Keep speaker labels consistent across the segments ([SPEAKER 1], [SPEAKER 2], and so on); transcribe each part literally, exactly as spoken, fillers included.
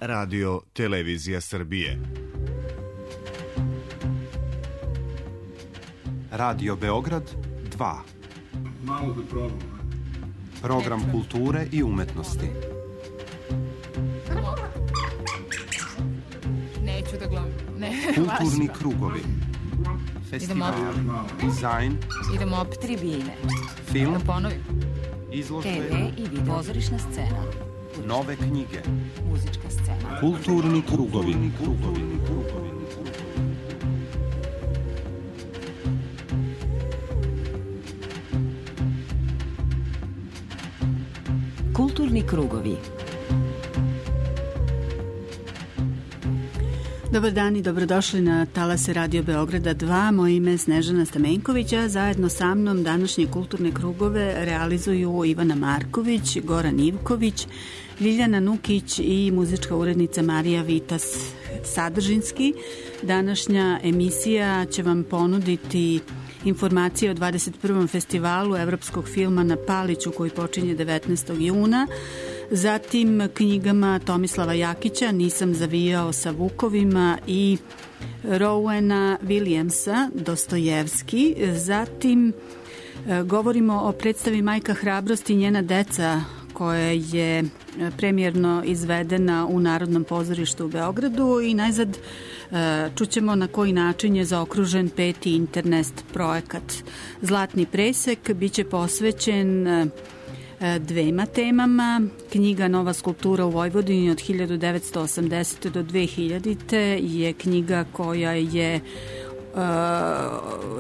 [SPEAKER 1] Radio Televizija Srbije.
[SPEAKER 2] Radio Beograd dva.
[SPEAKER 3] Malo da probam.
[SPEAKER 2] Program kulture i umetnosti.
[SPEAKER 4] Neću da gledam. Ne,
[SPEAKER 2] kulturni krugovi. Festival, dizajn.
[SPEAKER 4] Idemo opet tribine.
[SPEAKER 2] Film.
[SPEAKER 4] Da ponovim.
[SPEAKER 2] Izložbe.
[SPEAKER 4] te ve i video. Pozorišna scena.
[SPEAKER 2] Nove knjige.
[SPEAKER 4] Muzička scena.
[SPEAKER 2] Kulturni krugovi. Krugovi.
[SPEAKER 4] Kulturni krugovi.
[SPEAKER 5] Dobar dan i dobrodošli na talase Radio Beograda dva. Moje ime je Snežana Stamenković, a zajedno sa mnom današnje kulturne krugove realizuju Ivana Marković, Goran Ivković, Ljiljana Nukić i muzička urednica Marija Vitas Sadržinski. Današnja emisija će vam ponuditi informacije o dvadeset prvom festivalu evropskog filma na Paliću koji počinje devetnaestog juna, zatim knjigama Tomislava Jakića Nisam zavijao sa vukovima i Rowena Williamsa Dostojevski. Zatim govorimo o predstavi Majka hrabrosti i njena deca koja je premijerno izvedena u Narodnom pozorištu u Beogradu i najzad čućemo na koji način je zaokružen peti internet projekat. Zlatni presek biće posvećen dvema temama. Knjiga Nova skulptura u Vojvodini od hiljadu devetsto osamdesete do dve hiljadite je knjiga koja je Uh,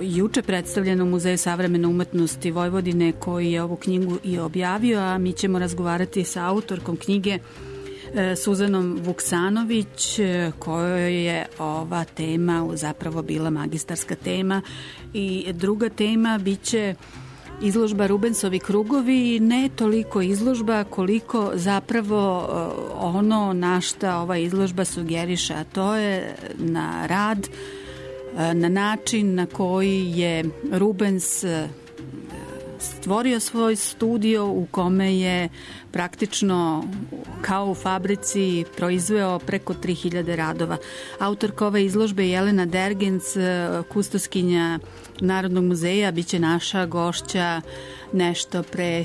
[SPEAKER 5] juče predstavljena u Muzeju savremene umetnosti Vojvodine koji je ovu knjigu i objavio, a mi ćemo razgovarati sa autorkom knjige uh, Suzanom Vuksanović, uh, kojoj je ova tema zapravo bila magistarska tema. I druga tema biće izložba Rubensovi krugovi, ne toliko izložba koliko zapravo uh, ono na šta ova izložba sugeriše, a to je na rad, na način na koji je Rubens stvorio svoj studio u kome je praktično kao u fabrici proizveo preko tri hiljade radova. Autorka ove izložbe je Jelena Dergens, kustoskinja Narodnog muzeja, biće naša gošća nešto pre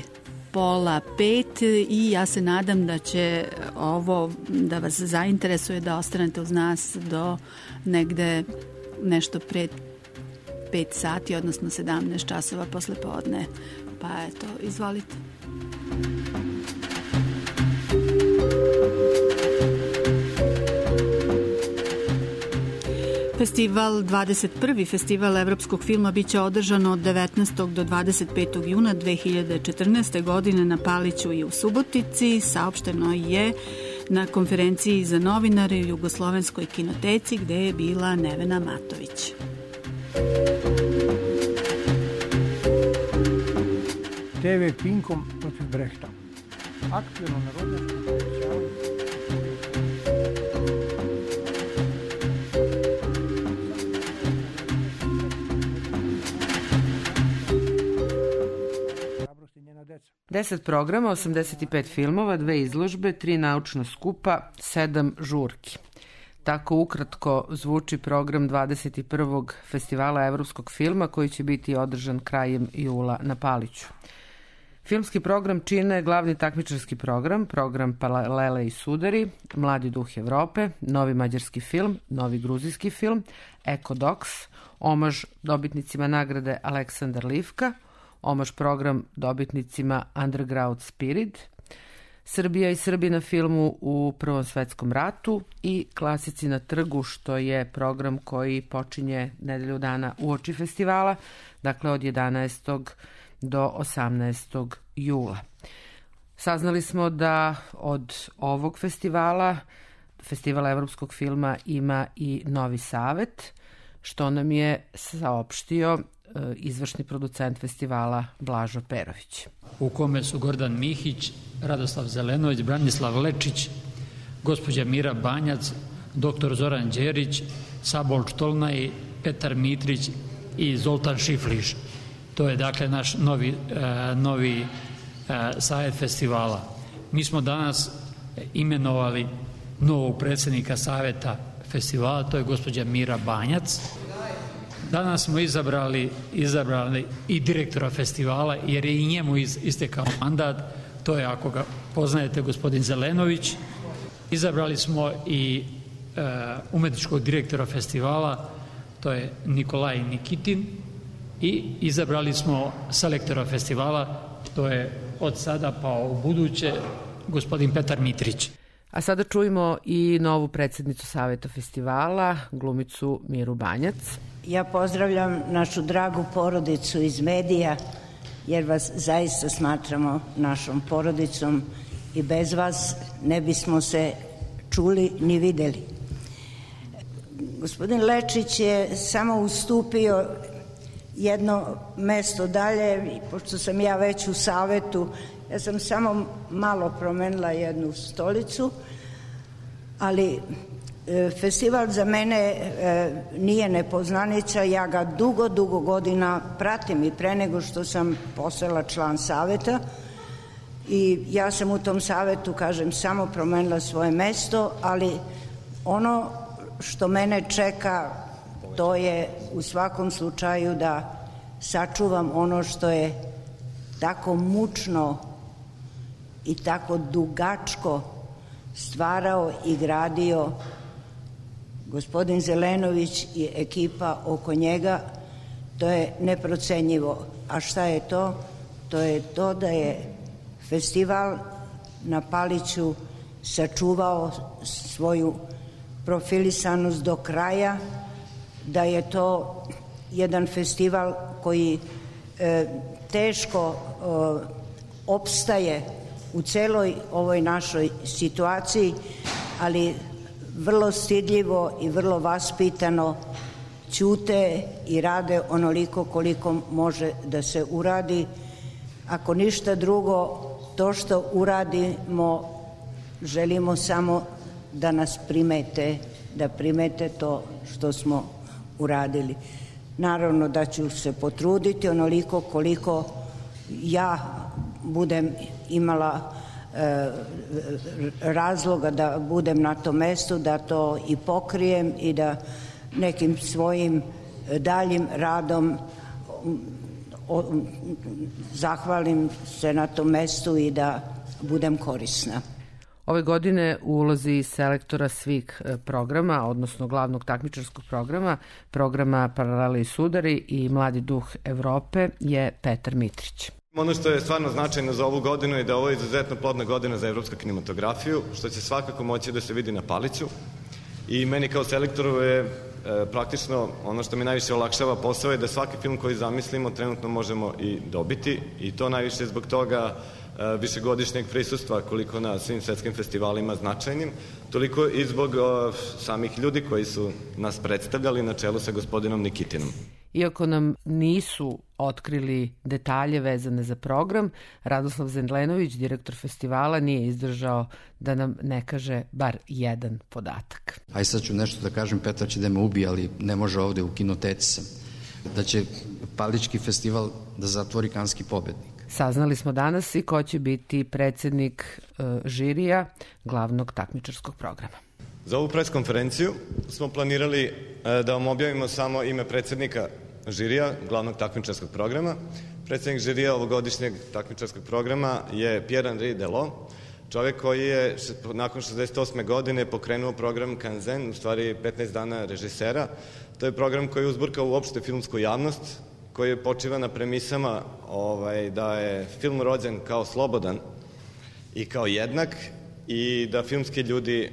[SPEAKER 5] pola pet i ja se nadam da će ovo da vas zainteresuje, da ostanete uz nas do negde nešto pred pet sati, odnosno sedamnaest časova posle podne. Pa eto, izvolite. Festival, dvadeset prvi festival evropskog filma biće održan od devetnaestog do dvadeset petog juna dve hiljade četrnaeste. godine na Paliću i u Subotici. Saopšteno je na konferenciji za novinare u Jugoslovenskoj kinoteci gde je bila Nevena Matović.
[SPEAKER 6] te ve Pinkom protiv Brehta. Aktuelno narodnjačko povećavanje.
[SPEAKER 7] deset programa, osamdeset pet filmova, dve izložbe, tri naučna skupa, sedam žurki. Tako ukratko zvuči program dvadeset prvog festivala evropskog filma koji će biti održan krajem jula na Paliću. Filmski program čine glavni takmičarski program, program Paralele i sudari, Mladi duh Evrope, novi mađarski film, novi gruzijski film, Ekodoks, omaž dobitnicima nagrade Aleksandar Livka, omaž program dobitnicima Underground Spirit, Srbija i Srbi na filmu u Prvom svetskom ratu i Klasici na trgu, što je program koji počinje nedelju dana uoči festivala, dakle od jedanaestog do osamnaestog jula. Saznali smo da od ovog festivala, festivala evropskog filma, ima i novi savet, što nam je saopštio izvršni producent festivala Blažo Perović.
[SPEAKER 8] U kome su Gordan Mihić, Radoslav Zelenović, Branislav Lečić, gospođa Mira Banjac, doktor Zoran Đerić, Sabol Štolnaj, Petar Mitrić i Zoltan Šifliš. To je dakle naš novi, uh, novi uh, savet festivala. Mi smo danas imenovali novog predsjednika Saveta festivala, to je gospođa Mira Banjac. Danas smo izabrali, izabrali i direktora festivala, jer je i njemu iz, istekao mandat, to je, ako ga poznajete, gospodin Zelenović. Izabrali smo i e, umetničkog direktora festivala, to je Nikolaj Nikitin, i izabrali smo selektora festivala, to je od sada pa u buduće gospodin Petar Mitrić.
[SPEAKER 7] A sada čujemo i novu predsjednicu Saveta festivala, glumicu Miru Banjac.
[SPEAKER 9] Ja pozdravljam našu dragu porodicu iz medija, jer vas zaista smatramo našom porodicom i bez vas ne bismo se čuli ni videli. Gospodin Lečić je samo ustupio jedno mesto dalje, pošto sam ja već u Savetu, ja sam samo malo promenila jednu stolicu, ali e, festival za mene e, nije nepoznanica, ja ga dugo, dugo godina pratim i pre nego što sam postala član Saveta i ja sam u tom Savetu, kažem, samo promenila svoje mesto, ali ono što mene čeka, to je u svakom slučaju da sačuvam ono što je tako mučno i tako dugačko stvarao i gradio gospodin Zelenović i ekipa oko njega. To je neprocenjivo. A šta je to? To je to da je festival na Paliću sačuvao svoju profilisanost do kraja, da je to jedan festival koji e, teško e, opstaje u celoj ovoj našoj situaciji, ali vrlo stidljivo i vrlo vaspitano ćute i rade onoliko koliko može da se uradi. Ako ništa drugo, to što uradimo, želimo samo da nas primete, da primete to što smo uradili. Naravno da ću se potruditi onoliko koliko ja budem imala e, razloga da budem na tom mestu, da to i pokrijem i da nekim svojim daljim radom o, zahvalim se na tom mestu i da budem korisna.
[SPEAKER 7] Ove godine u ulozi selektora svih programa, odnosno glavnog takmičarskog programa, programa Paralele i sudari i Mladi duh Evrope, je Petar Mitrić.
[SPEAKER 10] Ono što je stvarno značajno za ovu godinu je da ovo je izuzetno plodna godina za evropsku kinematografiju, što će svakako moći da se vidi na Paliću. I meni kao selektoru je e, praktično ono što mi najviše olakšava posao je da svaki film koji zamislimo trenutno možemo i dobiti, i to najviše zbog toga e, višegodišnjeg prisustva koliko na svim svetskim festivalima značajnim, toliko i zbog o, samih ljudi koji su nas predstavljali na čelu sa gospodinom Nikitinom.
[SPEAKER 7] Iako nam nisu otkrili detalje vezane za program, Radoslav Zelenović, direktor festivala, nije izdržao da nam ne kaže bar jedan podatak.
[SPEAKER 11] Aj sad ću nešto da kažem, Petar će da me ubije, ali ne može ovde, u kinoteci sam. Da će Palički festival da zatvori Kanski pobednik.
[SPEAKER 7] Saznali smo danas i ko će biti predsednik e, žirija glavnog takmičarskog programa.
[SPEAKER 10] Za ovu preskonferenciju smo planirali e, da vam objavimo samo ime predsednika žirija glavnog takmičarskog programa. Predsednik žirija ovogodišnjeg takmičarskog programa je Pierre-Henri Delot, čovjek koji je nakon šezdeset osme godine pokrenuo program Kanzen, u stvari petnaest dana režisera. To je program koji je uzburkao uopšte filmsku javnost, koji je počiva na premisama ovaj, da je film rođen kao slobodan i kao jednak i da filmski ljudi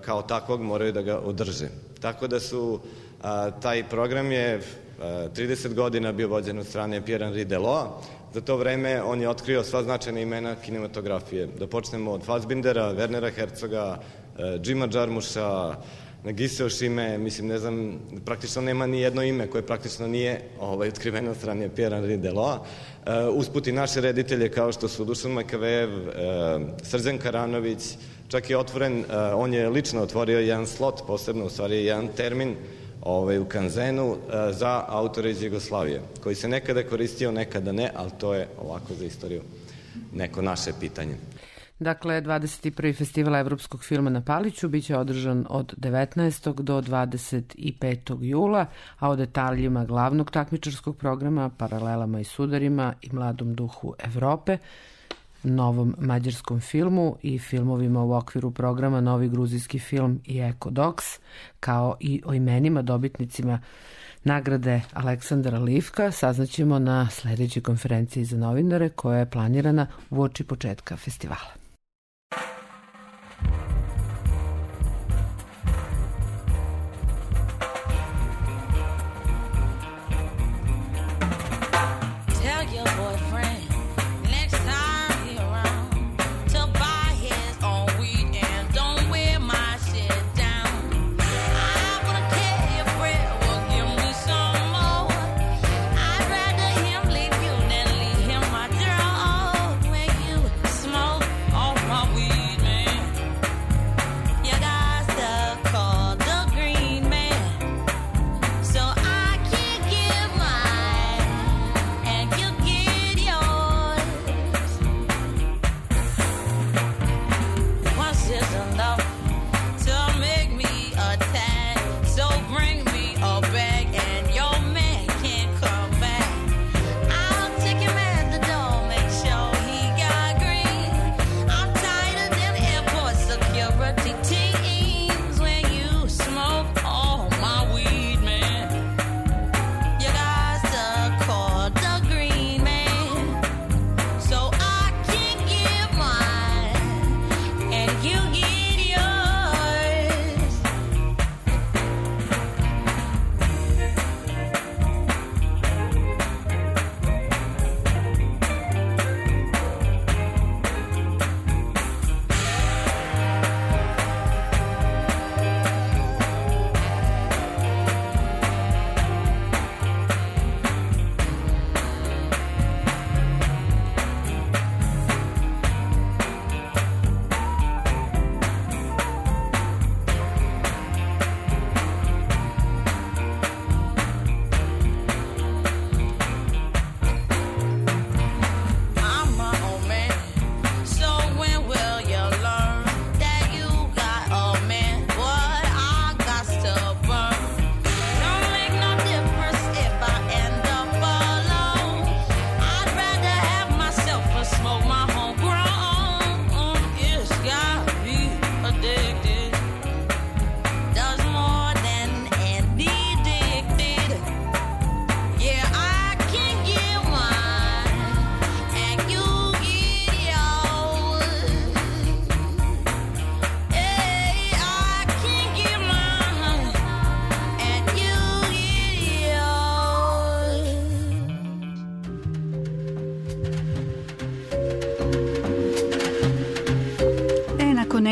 [SPEAKER 10] kao takvog moraju da ga održe. Tako da su, taj program je trideset godina bio vođen od strane Pierre-Henri Delot. Za to vreme on je otkrio sva značajna imena kinematografije. Da počnemo od Fassbindera, Wernera Herzoga, Jima Jarmusha, Nagise Oshime, mislim, ne znam, praktično nema ni jedno ime koje praktično nije ovaj, otkriveno od strane Pierre-Henri Delot. Uh, usput i naše reditelje kao što su Dušan Makavejev, uh, Srđan Karanović, čak je otvoren, uh, on je lično otvorio jedan slot, posebno u stvari jedan termin ovaj, u Kanzenu uh, za autore iz Jugoslavije, koji se nekada koristio, nekada ne, ali to je ovako za istoriju neko naše pitanje.
[SPEAKER 7] Dakle, dvadeset prvi festival evropskog filma na Paliću biće održan od devetnaestog do dvadeset petog jula, a o detaljima glavnog takmičarskog programa, paralelama i sudarima i mladom duhu Evrope, novom mađarskom filmu i filmovima u okviru programa Novi gruzijski film i Eko Docs, kao i o imenima dobitnicima nagrade Aleksandra Livka, saznaćemo na sledećoj konferenciji za novinare koja je planirana uoči početka festivala.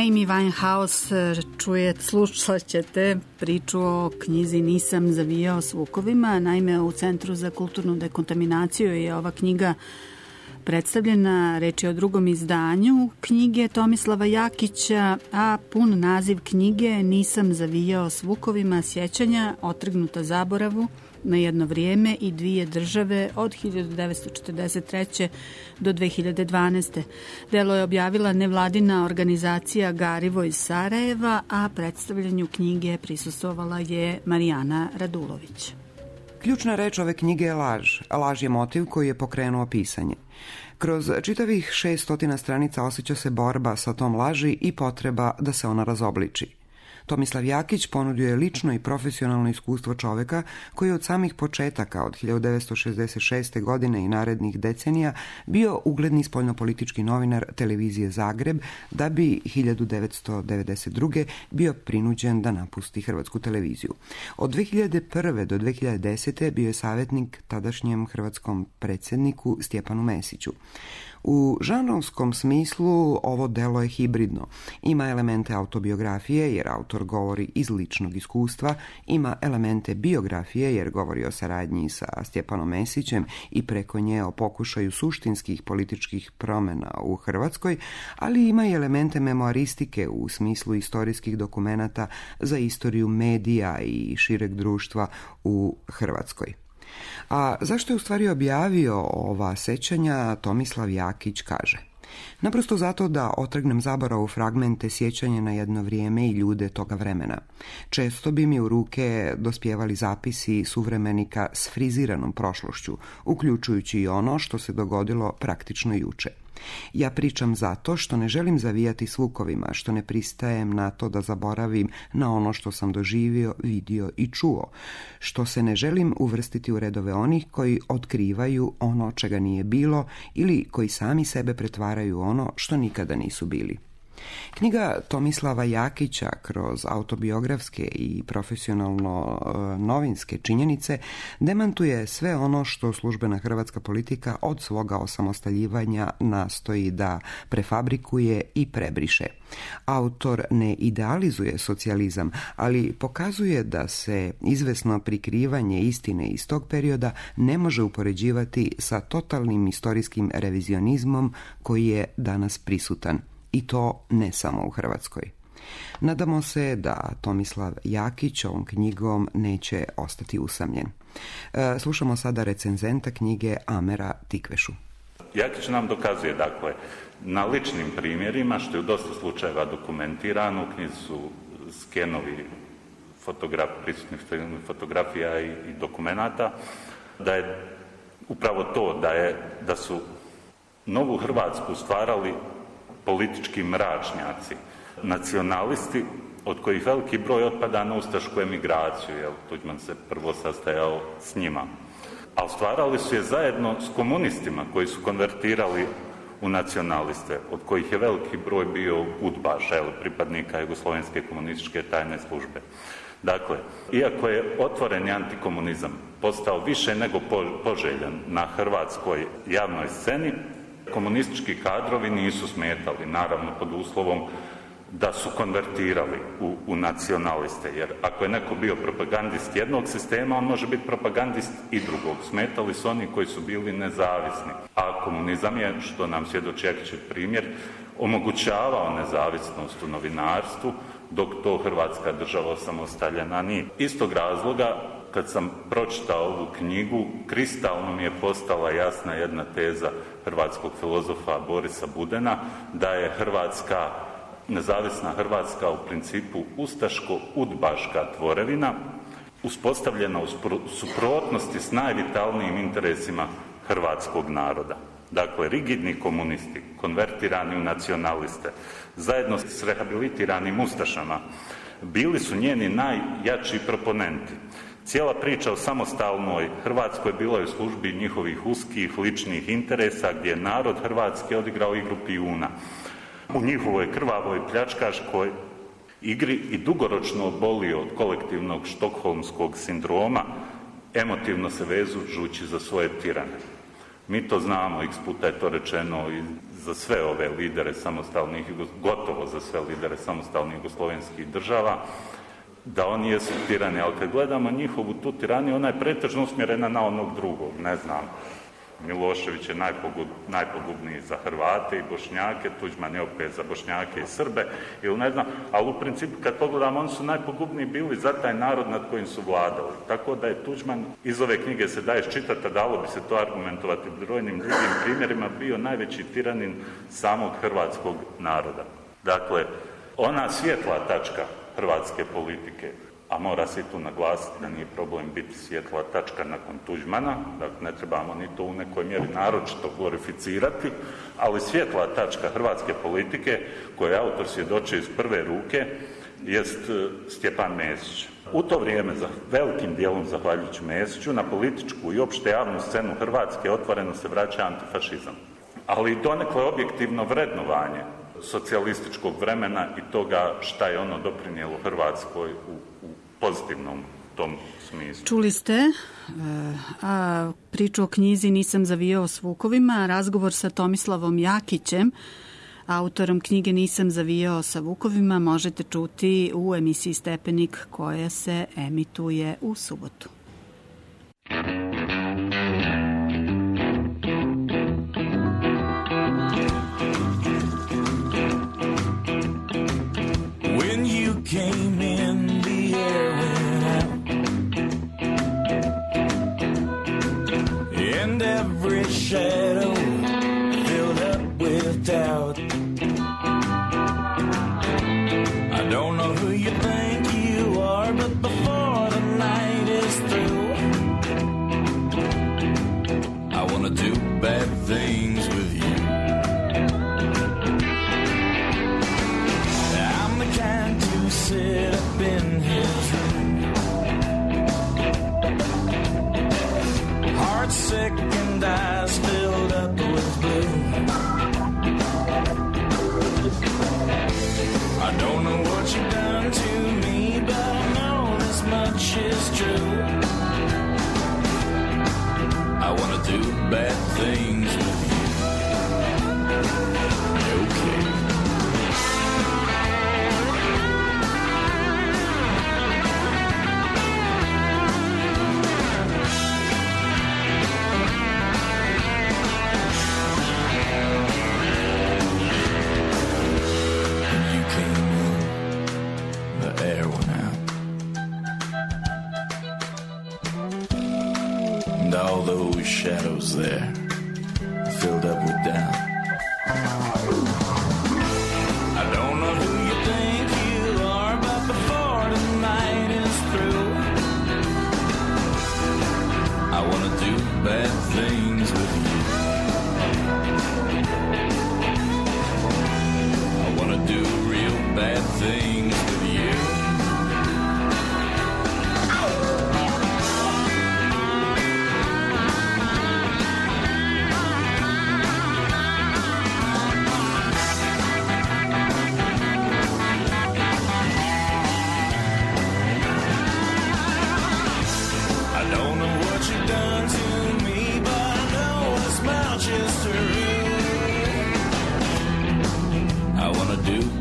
[SPEAKER 5] Amy Winehouse čuje, slušat ćete priču o knjizi Nisam zavijao s vukovima. Naime, u Centru za kulturnu dekontaminaciju je ova knjiga predstavljena, reč je o drugom izdanju knjige Tomislava Jakića, a pun naziv knjige Nisam zavijao s vukovima, sjećanja otrgnuta zaboravu na jedno vrijeme i dvije države od hiljadu devetsto četrdeset treće do dve hiljade dvanaeste. Delo je objavila nevladina organizacija Garivo iz Sarajeva, a predstavljanju knjige prisustvovala je Marijana Radulović.
[SPEAKER 12] Ključna reč ove knjige je laž, a laž je motiv koji je pokrenuo pisanje. Kroz čitavih šeststotina stranica osjeća se borba sa tom laži i potreba da se ona razobliči. Tomislav Jakić ponudio je lično i profesionalno iskustvo čoveka koji je od samih početaka od hiljadu devetsto šezdeset šeste. godine i narednih decenija bio ugledni spoljnopolitički novinar televizije Zagreb, da bi hiljadu devetsto devedeset druge. bio prinuđen da napusti Hrvatsku televiziju. Od dve hiljade prve. do dve hiljade desete. bio je savjetnik tadašnjem hrvatskom predsjedniku Stjepanu Mesiću. U žanrovskom smislu ovo delo je hibridno. Ima elemente autobiografije jer autor govori iz ličnog iskustva, ima elemente biografije jer govori o saradnji sa Stjepanom Mesićem i preko nje o pokušaju suštinskih političkih promjena u Hrvatskoj, ali ima i elemente memoaristike u smislu istorijskih dokumenata za istoriju medija i šireg društva u Hrvatskoj. A zašto je u stvari objavio ova sećanja, Tomislav Jakić kaže: Naprosto zato da otrgnem zaboravu fragmente sjećanja na jedno vrijeme i ljude toga vremena. Često bi mi u ruke dospjevali zapisi suvremenika s friziranom prošlošću, uključujući i ono što se dogodilo praktično juče. Ja pričam zato što ne želim zavijati s vukovima, što ne pristajem na to da zaboravim na ono što sam doživio, vidio i čuo, što se ne želim uvrstiti u redove onih koji otkrivaju ono čega nije bilo ili koji sami sebe pretvaraju u ono što nikada nisu bili. Knjiga Tomislava Jakića kroz autobiografske i profesionalno novinske činjenice demantuje sve ono što službena hrvatska politika od svoga osamostaljivanja nastoji da prefabrikuje i prebriše. Autor ne idealizuje socijalizam, ali pokazuje da se izvesno prikrivanje istine iz tog perioda ne može upoređivati sa totalnim istorijskim revizionizmom koji je danas prisutan. I to ne samo u Hrvatskoj. Nadamo se da Tomislav Jakić ovom knjigom neće ostati usamljen. Slušamo sada recenzenta knjige Amera Tikvešu.
[SPEAKER 13] Jakić nam dokazuje, dakle, na ličnim primjerima, što je u dosta slučajeva dokumentirano, u knjizi su skenovi fotograf, prisutnih fotografija i, i dokumenata, da je upravo to, da, je, da su novu Hrvatsku stvarali politički mračnjaci, nacionalisti, od kojih veliki broj otpada na ustašku emigraciju, jer Tuđman se prvo sastajao s njima. A stvarali su je zajedno s komunistima koji su konvertirali u nacionaliste, od kojih je veliki broj bio udbaša, jel, pripadnika Jugoslovenske komunističke tajne službe. Dakle, iako je otvoreni antikomunizam postao više nego poželjan na hrvatskoj javnoj sceni, komunistički kadrovi nisu smetali, naravno pod uslovom da su konvertirali u, u nacionaliste, jer ako je neko bio propagandist jednog sistema, on može biti propagandist i drugog. Smetali su oni koji su bili nezavisni. A komunizam je, što nam svjedoči Jakićev primjer, omogućavao nezavisnost u novinarstvu, dok to Hrvatska država osamostaljena nije. Istog razloga, kad sam pročitao ovu knjigu, kristalno mi je postala jasna jedna teza hrvatskog filozofa Borisa Budena, da je Hrvatska, nezavisna Hrvatska u principu ustaško-udbaška tvorevina, uspostavljena u suprotnosti s najvitalnijim interesima hrvatskog naroda. Dakle, rigidni komunisti, konvertirani u nacionaliste, zajedno s rehabilitiranim ustašama, bili su njeni najjači proponenti. Cijela priča o samostalnoj Hrvatskoj bila je u službi njihovih uskih ličnih interesa, gdje je narod Hrvatske odigrao igru pijuna. U njihovoj krvavoj pljačkaškoj igri i dugoročno obolio od kolektivnog štokholmskog sindroma, emotivno se vežući za svoje tirane. Mi to znamo, x puta je to rečeno i za sve ove lidere samostalnih, gotovo za sve lidere samostalnih jugoslovenskih država, da oni jesu tirani, ali kad gledamo njihovu tu tiraniju, ona je pretežno usmjerena na onog drugog, ne znam. Milošević je najpogub, najpogubniji za Hrvate i Bošnjake, Tuđman je opet za Bošnjake i Srbe, ili ne znam, ali u principu kad pogledamo, oni su najpogubniji bili za taj narod nad kojim su vladali. Tako da je Tuđman, iz ove knjige se daje iščitati, a dalo bi se to argumentovati brojnim drugim primjerima, bio najveći tiranin samog hrvatskog naroda. Dakle, ona svjetla tačka hrvatske politike, a mora se i tu naglasiti da nije problem biti svjetla tačka nakon Tuđmana, dakle ne trebamo ni to u nekoj mjeri naročito glorificirati, ali svjetla tačka hrvatske politike, koje autor svjedoči iz prve ruke, jest Stjepan Mesić. U to vrijeme, za velikim dijelom zahvaljujući Mesiću, na političku i opšte javnu scenu Hrvatske otvoreno se vraća antifašizam. Ali donekle objektivno vrednovanje socijalističkog vremena i toga šta je ono doprinijelo Hrvatskoj u, u pozitivnom tom smislu.
[SPEAKER 5] Čuli ste, a priču o knjizi Nisam zavijao s vukovima, razgovor sa Tomislavom Jakićem, autorom knjige Nisam zavijao sa vukovima, možete čuti u emisiji Stepenik koja se emituje u subotu.
[SPEAKER 14] Came in, the air went out, and every shadow filled up with doubt. skies filled up with blue. I don't know what you've done to me, but I know this much is true. I wanna do bad things with you. Okay. All those shadows there filled up with doubt. I don't know who you think you are, but before the night is through, I wanna do bad things with you. I wanna do real bad things with you.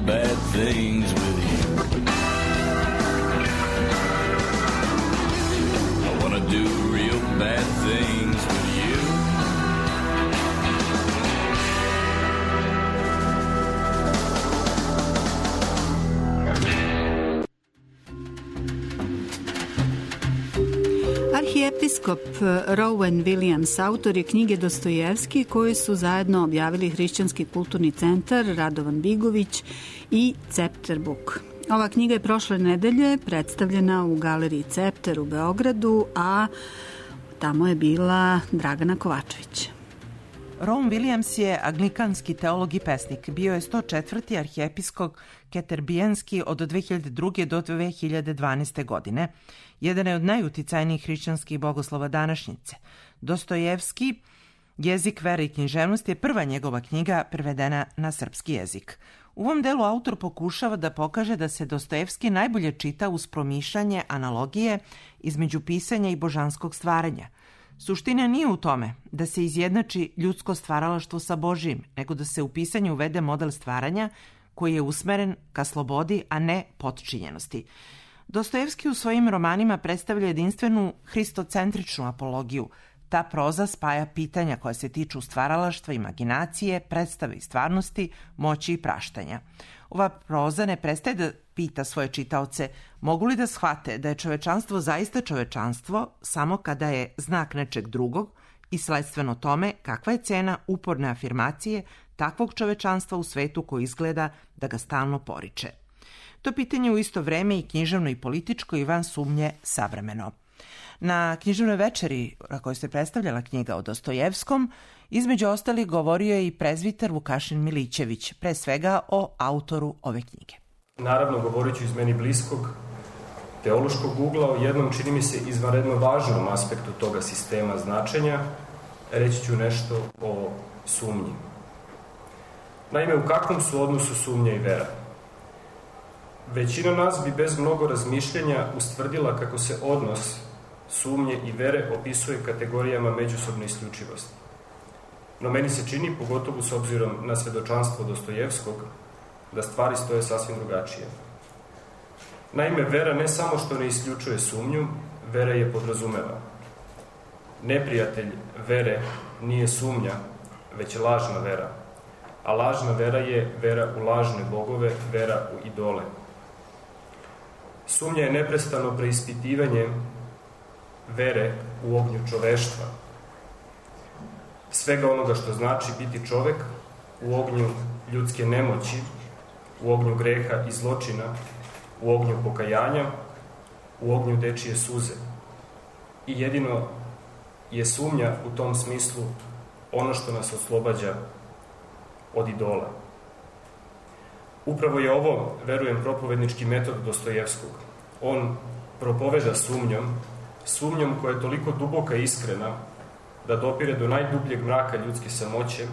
[SPEAKER 14] Bad things with you. I wanna do real bad things with you.
[SPEAKER 5] Arhijepiskop Rowan Williams, autor je knjige Dostojevski koje su zajedno objavili Hrišćanski kulturni centar Radovan Bigović i Cepter Book. Ova knjiga je prošle nedelje predstavljena u galeriji Cepter u Beogradu, a tamo je bila Dragana Kovačević.
[SPEAKER 15] Rowan Williams je anglikanski teolog i pesnik. Bio je sto četvrti arhijepiskop Keterbijenski od dve hiljade druge. do dve hiljade dvanaeste. godine. Jedan je od najuticajnijih hrišćanskih bogoslova današnjice. Dostojevski, Jezik, vera i književnost je prva njegova knjiga prevedena na srpski jezik. U ovom delu autor pokušava da pokaže da se Dostojevski najbolje čita uz promišljanje analogije između pisanja i božanskog stvaranja. Suština nije u tome da se izjednači ljudsko stvaralaštvo sa Božijim, nego da se u pisanju uvede model stvaranja koji je usmeren ka slobodi, a ne potčinjenosti. Dostojevski u svojim romanima predstavlja jedinstvenu hristocentričnu apologiju. Ta proza spaja pitanja koja se tiču stvaralaštva, imaginacije, predstave i stvarnosti, moći i praštanja. Ova proza ne prestaje da pita svoje čitaoce mogu li da shvate da je čovečanstvo zaista čovečanstvo samo kada je znak nečeg drugog i sledstveno tome kakva je cena uporne afirmacije takvog čovečanstva u svetu koji izgleda da ga stalno poriče. To pitanje u isto vreme i književno i političko i van sumnje savremeno. Na književnoj večeri na kojoj se predstavljala knjiga o Dostojevskom, između ostalih govorio je i prezviter Vukašin Milićević, pre svega o autoru ove knjige.
[SPEAKER 16] Naravno, govorit ću iz meni bliskog teološkog ugla o jednom, čini mi se, izvanredno važnom aspektu toga sistema značenja, reći ću nešto o sumnji. Naime, u kakvom su odnosu sumnja i vera? Većina nas bi bez mnogo razmišljanja ustvrdila kako se odnos sumnje i vere opisuje kategorijama međusobne isključivosti. No meni se čini, pogotovo s obzirom na svedočanstvo Dostojevskog, da stvari stoje sasvim drugačije. Naime, vera ne samo što ne isključuje sumnju, vera je podrazumeva. Neprijatelj vere nije sumnja, već je lažna vera. A lažna vera je vera u lažne bogove, vera u idole. Sumnja je neprestano preispitivanje vere u ognju čoveštva. Svega onoga što znači biti čovek u ognju ljudske nemoći, u ognju greha i zločina, u ognju pokajanja, u ognju dečije suze. I jedino je sumnja u tom smislu ono što nas oslobađa od idola. Upravo je ovo, verujem, propovednički metod Dostojevskog. On propoveda sumnjom, sumnjom koja je toliko duboka i iskrena da dopire do najdubljeg mraka ljudske samoće,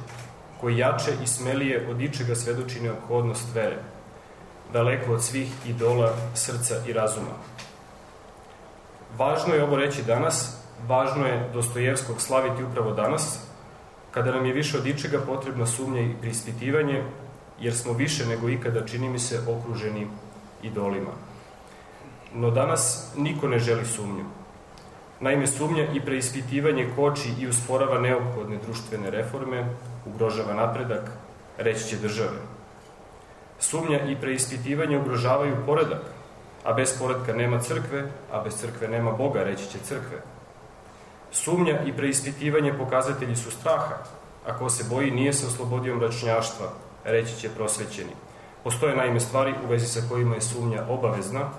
[SPEAKER 16] koji jače i smelije od ičega svedoči neophodnost vere, daleko od svih idola srca i razuma. Važno je ovo reći danas, važno je Dostojevskog slaviti upravo danas, kada nam je više od ičega potrebna sumnja i preispitivanje, jer smo više nego ikada, čini mi se, okruženi idolima. No danas niko ne želi sumnju. Naime, sumnja i preispitivanje koči i usporava neophodne društvene reforme, ugrožava napredak, reći će države. Sumnja i preispitivanje ugrožavaju poredak, a bez poredka nema crkve, a bez crkve nema Boga, reći će crkve. Sumnja i preispitivanje pokazatelji su straha, a ko se boji nije se oslobodio mračnjaštva, reći će prosvećeni. Postoje naime stvari u vezi sa kojima je sumnja obavezna,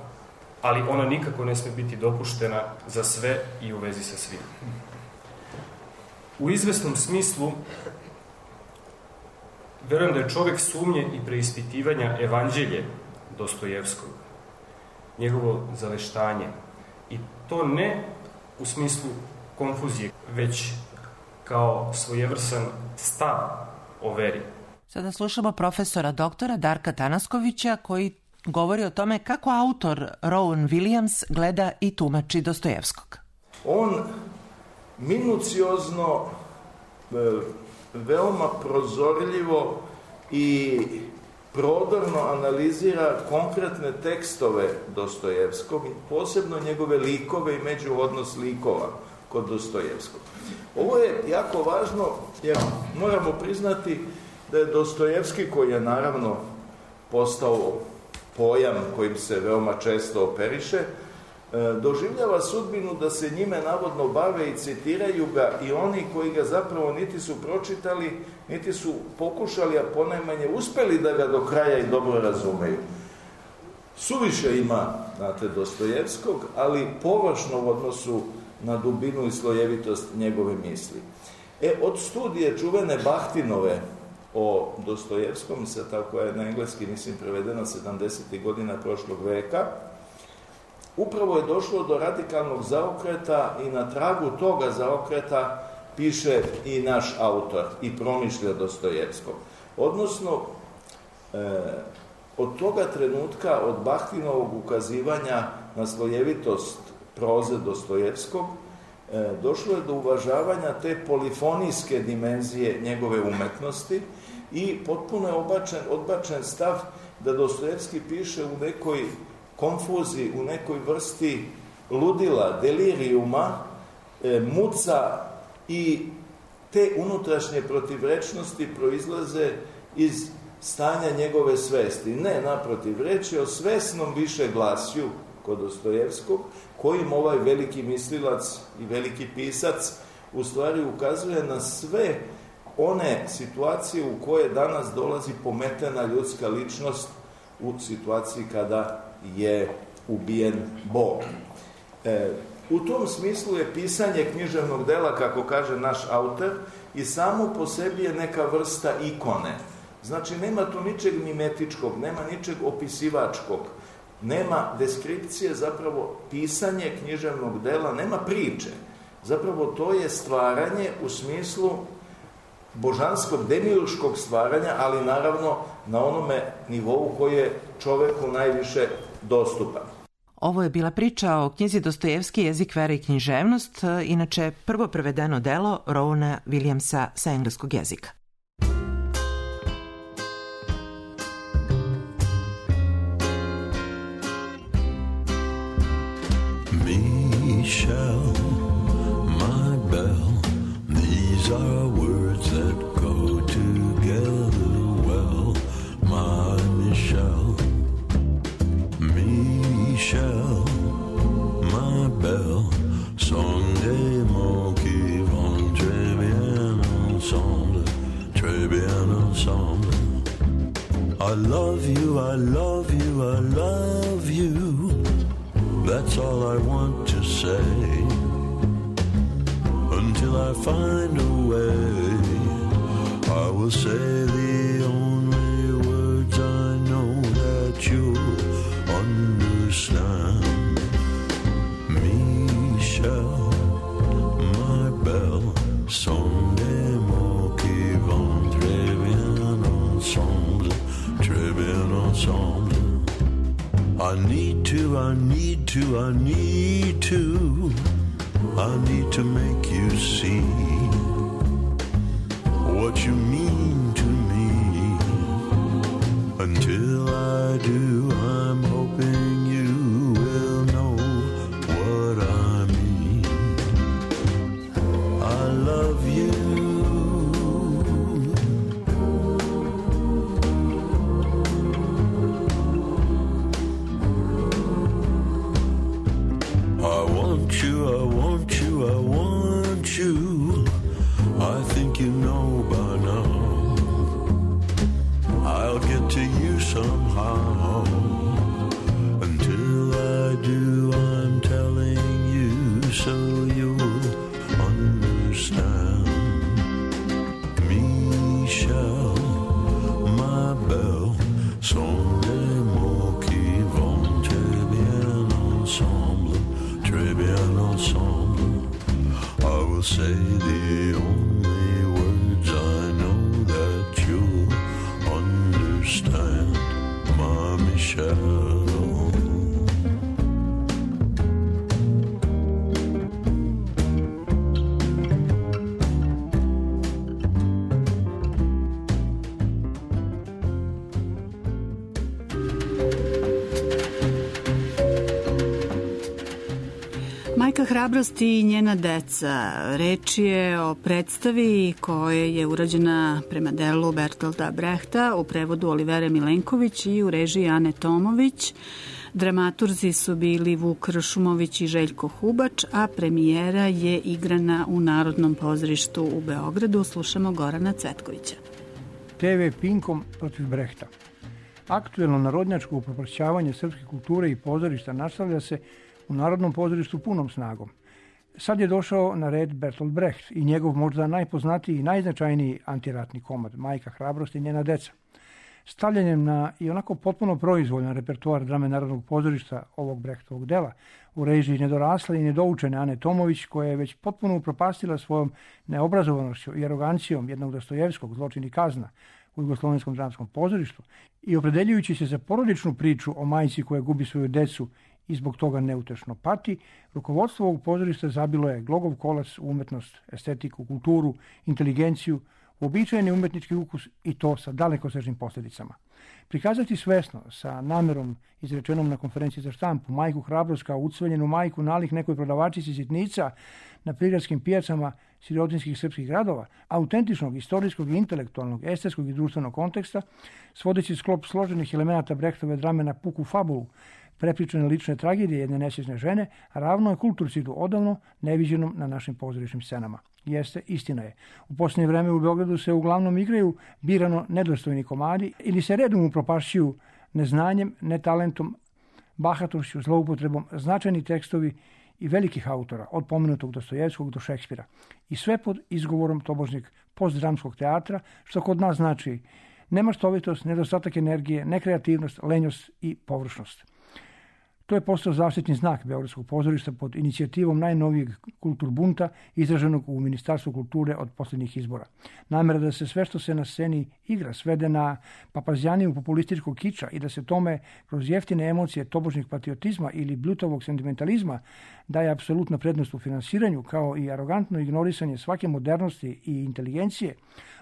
[SPEAKER 16] ali ona nikako ne sme biti dopuštena za sve i u vezi sa svim. U izvesnom smislu, verujem da je čovek sumnje i preispitivanja evanđelje Dostojevskog, njegovo zaveštanje. I to ne u smislu konfuzije, već kao svojevrsan stav o veri.
[SPEAKER 15] Sada slušamo profesora doktora Darka Tanaskovića koji govori o tome kako autor Rowan Williams gleda i tumači Dostojevskog.
[SPEAKER 17] On minuciozno, veoma prozorljivo i prodorno analizira konkretne tekstove Dostojevskog, posebno njegove likove i međuodnos likova kod Dostojevskog. Ovo je jako važno jer moramo priznati da je Dostojevski, koji je naravno postao pojam kojim se veoma često operiše, doživljava sudbinu da se njime navodno bave i citiraju ga i oni koji ga zapravo niti su pročitali, niti su pokušali, a ponajmanje uspeli da ga do kraja i dobro razumeju. Suviše ima, znate, Dostojevskog, ali površno u odnosu na dubinu i slojevitost njegove misli. E, od studije čuvene Bahtinove o Dostojevskom, ta koja je na engleski, mislim, prevedena sedamdesetih godina prošlog veka, upravo je došlo do radikalnog zaokreta i na tragu toga zaokreta piše i naš autor i promišlja Dostojevskog. Odnosno, e, od toga trenutka, od Bahtinovog ukazivanja na slojevitost proze Dostojevskog, e, došlo je do uvažavanja te polifonijske dimenzije njegove umetnosti i potpuno je odbačen, odbačen stav da Dostojevski piše u nekoj konfuziji, u nekoj vrsti ludila, delirijuma, e, muca i te unutrašnje protivrečnosti proizlaze iz stanja njegove svesti. Ne, naprotiv, reč je o svesnom višeglasju kod Dostojevskog, kojim ovaj veliki mislilac i veliki pisac u stvari ukazuje na sve one situacije u koje danas dolazi pometena ljudska ličnost u situaciji kada je ubijen Bog. E, u tom smislu je pisanje književnog dela, kako kaže naš autor, i samo po sebi je neka vrsta ikone. Znači, nema tu ničeg mimetičkog, nema ničeg opisivačkog, nema deskripcije, zapravo pisanje književnog dela, nema priče. Zapravo to je stvaranje u smislu božanskog, demiurškog stvaranja, ali naravno na onome nivou koji je čoveku najviše dostupan.
[SPEAKER 15] Ovo je bila priča o knjizi Dostojevski, jezik, vera i književnost, inače prvo prevedeno delo Rowana Williamsa sa engleskog jezika.
[SPEAKER 18] Michelle, my belle, these are words that go together well, my Michelle. Michelle, my belle, sont des mots qui vont très bien ensemble, très bien ensemble. I love you, I love you, I love you. That's all I want to say, until I find a way. I will say the only words I know that you'll understand. Michelle, my belle, need to, I need to, I need to, I need to make you see what you mean to me. Until I do, I'm hoping you will know what I mean. I love you. I want you, I want you, I want you. I think you know by now. I'll get to you somehow. Until I do, I'm telling you so you'll understand. Michel, ma belle, sont des mots qui vont très bien ensemble, très bien ensemble. I will say the only words I know that you'll understand, my Michelle.
[SPEAKER 5] Majka hrabrosti i njena deca. Reč je o predstavi koja je urađena prema delu Bertolda Brehta u prevodu Olivere Milenković i u režiji Ane Tomović. Dramaturzi su bili Vuk Ršumović i Željko Hubač, a premijera je igrana u Narodnom pozorištu u Beogradu. Slušamo Gorana Cvetkovića.
[SPEAKER 6] te ve Pinkom protiv Brehta. Aktuelno narodnjačko upropašćavanje srpske kulture i pozorišta nastavlja se u Narodnom pozorištu punom snagom. Sad je došao na red Bertolt Brecht i njegov možda najpoznatiji i najznačajniji antiratni komad, Majka hrabrosti i njena deca. Stavljanjem na i onako potpuno proizvoljan repertoar drame Narodnog pozorišta ovog Brechtovog dela u režiji nedorasle i nedoučene Ane Tomović, koja je već potpuno upropastila svojom neobrazovanošću i arogancijom jednog Dostojevskog, Zločin i kazna, u Jugoslovenskom dramskom pozorištu i opredeljujući se za porodičnu priču o majci koja gubi svoju decu i zbog toga neutešno pati, rukovodstvo ovog pozorišta zabilo je glogov kolac u umetnost, estetiku, kulturu, inteligenciju, uobičajeni umetnički ukus i to sa dalekosežnim posljedicama. Prikazati svesno, sa namerom izrečenom na konferenciji za štampu, Majku hrabrost kao ucveljenu majku nalik nekoj prodavačici sitnica na prigradskim pijacama sirotinskih srpskih gradova, autentičnog, istorijskog i intelektualnog, estetskog i društvenog konteksta, svodeći sklop složenih elemenata Brechtove drame na puku fabulu, prepričane lične tragedije jedne nesvjesne žene, ravno je kulturcidu odavno neviđenom na našim pozorišnim scenama. Jeste, istina je. U posljednje vreme u Beogradu se uglavnom igraju birano nedostojni komadi ili se redom upropašćuju neznanjem, netalentom, bahatošću, zloupotrebom značajni tekstovi i velikih autora, od pomenutog Dostojevskog do Šekspira. I sve pod izgovorom tobožnjeg postdramskog teatra, što kod nas znači nemaštovitost, nedostatak energije, nekreativnost, lenjost i površnost. To je postao zaštitni znak Beogradskog pozorišta pod inicijativom najnovijeg kulturbunta izraženog u Ministarstvu kulture od posljednjih izbora. Namera da se sve što se na sceni igra svede na papazjaniju populističkog kiča i da se tome kroz jeftine emocije tobožnjeg patriotizma ili bljutavog sentimentalizma daje apsolutna prednost u finansiranju, kao i arogantno ignorisanje svake modernosti i inteligencije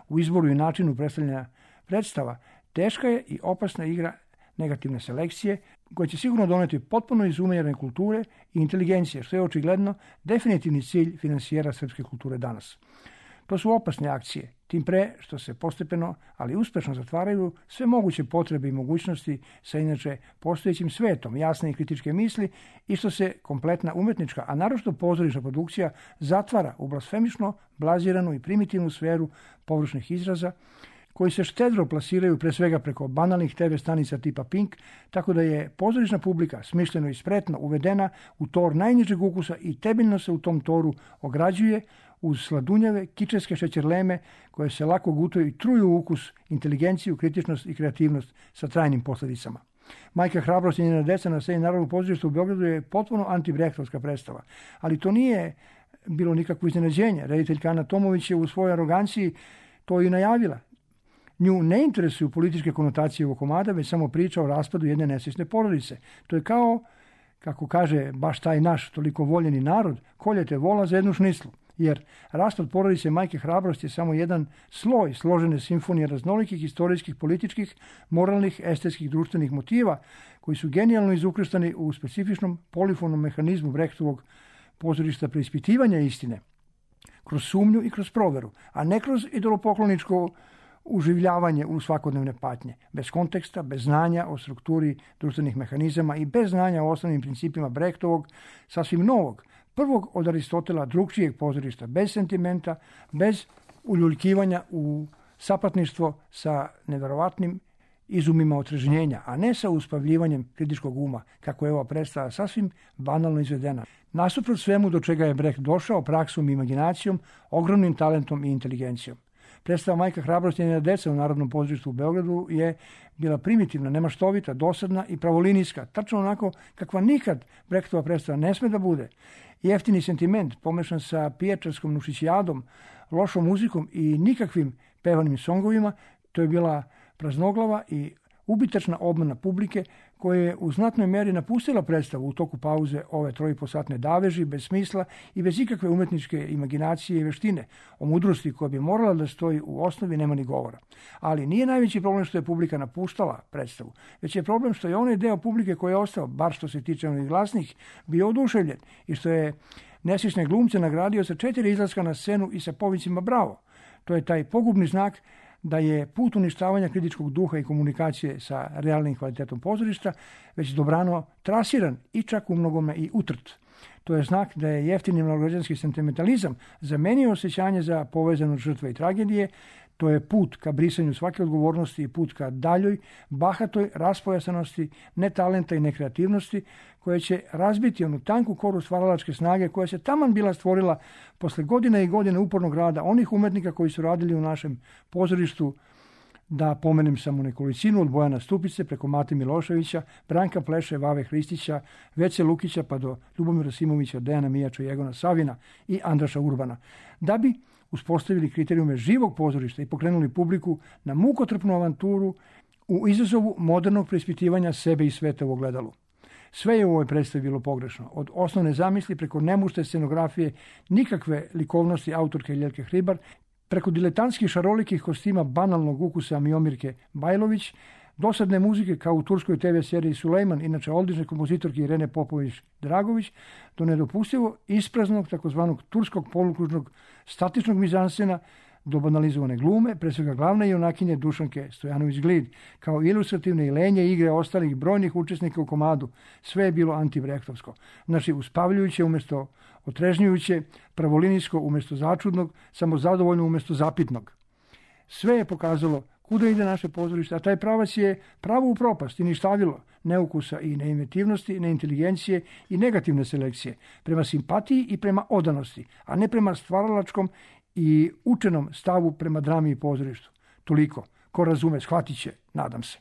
[SPEAKER 6] u izboru i načinu predstavljanja predstava, teška je i opasna igra negativne selekcije, koja će sigurno doneti potpuno izumirane kulture i inteligencije, što je očigledno definitivni cilj finansijera srpske kulture danas. To su opasne akcije, tim pre što se postepeno, ali uspešno zatvaraju sve moguće potrebe i mogućnosti sa inače postojećim svetom jasne i kritičke misli i što se kompletna umetnička, a naročito pozorišna produkcija zatvara u blasfemično, blaziranu i primitivnu sferu površnih izraza, koji se štedro plasiraju pre svega preko banalnih te ve stanica tipa Pink, tako da je pozorišna publika smišljeno i spretno uvedena u tor najnižeg ukusa i temeljno se u tom toru ograđuje uz sladunjave, kičeske šećerleme koje se lako gutaju i truju ukus, inteligenciju, kritičnost i kreativnost sa trajnim posljedicama. Majka hrabrost i njena deca na sceni Narodnog pozorišta u Beogradu je potpuno antibrechtovska predstava, ali to nije bilo nikakvo iznenađenje. Rediteljka Ana Tomović je u svojoj aroganciji to i najavila. Nju ne interesuju političke konotacije ovog komada, već samo priča o raspadu jedne nesrećne porodice. To je kao, kako kaže baš taj naš toliko voljeni narod, koljete vola za jednu šnislu. Jer raspad porodice Majke Hrabrosti je samo jedan sloj složene simfonije raznolikih istorijskih, političkih, moralnih, estetskih, društvenih motiva koji su genijalno izukrštani u specifičnom polifonom mehanizmu Brechtovog pozorišta preispitivanja istine, kroz sumnju i kroz proveru, a ne kroz idolopokloničko uživljavanje u svakodnevne patnje, bez konteksta, bez znanja o strukturi društvenih mehanizama i bez znanja o osnovnim principima Brechtovog, sasvim novog, prvog od Aristotela drugčijeg pozorišta, bez sentimenta, bez uljuljkivanja u sapatništvo sa neverovatnim izumima otrežnjenja, a ne sa uspavljivanjem kritičkog uma, kako je ova predstava sasvim banalno izvedena. Nasuprot svemu do čega je Brecht došao praksom i imaginacijom, ogromnim talentom i inteligencijom. Predstava Majka Hrabrosti i njena deca u Narodnom pozorištu u Beogradu je bila primitivna, nemaštovita, dosadna i pravolinijska, tačno onako kakva nikad Brechtova predstava ne sme da bude. Jeftini sentiment, pomešan sa piječarskom nušićijadom, lošom muzikom i nikakvim pevanim songovima, to je bila praznoglava i ubitačna obmana publike koja je u znatnoj meri napustila predstavu u toku pauze ove trojiposatne daveži, bez smisla i bez ikakve umetničke imaginacije i veštine. O mudrosti koja bi morala da stoji u osnovi nema ni govora. Ali nije najveći problem što je publika napuštala predstavu, već je problem što je onaj deo publike koji je ostao, bar što se tiče onih glasnih, bio oduševljen i što je nesvične glumce nagradio sa četiri izlaska na scenu i sa povicima bravo. To je taj pogubni znak da je put uništavanja kritičkog duha i komunikacije sa realnim kvalitetom pozorišta već dobrano trasiran i čak u mnogome i utrt. To je znak da je jeftini malograđanski sentimentalizam zamenio osjećanje za povezanost žrtve i tragedije. To je put ka brisanju svake odgovornosti i put ka daljoj, bahatoj raspojasanosti, netalenta i nekreativnosti koja će razbiti onu tanku koru stvaralačke snage koja se taman bila stvorila posle godine i godine upornog rada onih umetnika koji su radili u našem pozorištu, da pomenem samo nekolicinu, od Bojana Stupice preko Mate Miloševića, Branka Pleše, Vave Hristića, Vece Lukića pa do Ljubomira Simovića, Dejana Mijača, Jegona Savina i Andraša Urbana, da bi uspostavili kriterijume živog pozorišta i pokrenuli publiku na mukotrpnu avanturu u izazovu modernog preispitivanja sebe i sveta u ogledalu. Sve je u ovoj predstavi bilo pogrešno. Od osnovne zamisli preko nemušte scenografije, nikakve likovnosti autorke Ljelke Hribar, preko diletantskih šarolikih kostima banalnog ukusa Miomirke Bajlović, dosadne muzike kao u turskoj te ve seriji Sulejman, inače odlične kompozitorke Irene Popović-Dragović, do nedopustivo ispraznog takozvanog turskog polukružnog statičnog mizanscena, do banalizovane glume, pre svega glavne junakinje Dušanke Stojanović-Glid, kao ilustrativne i lenje igre ostalih brojnih učesnika u komadu. Sve je bilo antibrechtovsko. Znači, uspavljujuće umjesto otrežnjujuće, pravolinijsko umjesto začudnog, samozadovoljno umjesto zapitnog. Sve je pokazalo kuda ide naše pozorište, a taj pravac je pravo u propast i ništavilo neukusa i neinventivnosti, neinteligencije i negativne selekcije, prema simpatiji i prema odanosti, a ne prema stvaralačkom i učenom stavu prema drami i pozorištu. Toliko. Ko razume, shvatit će, nadam se.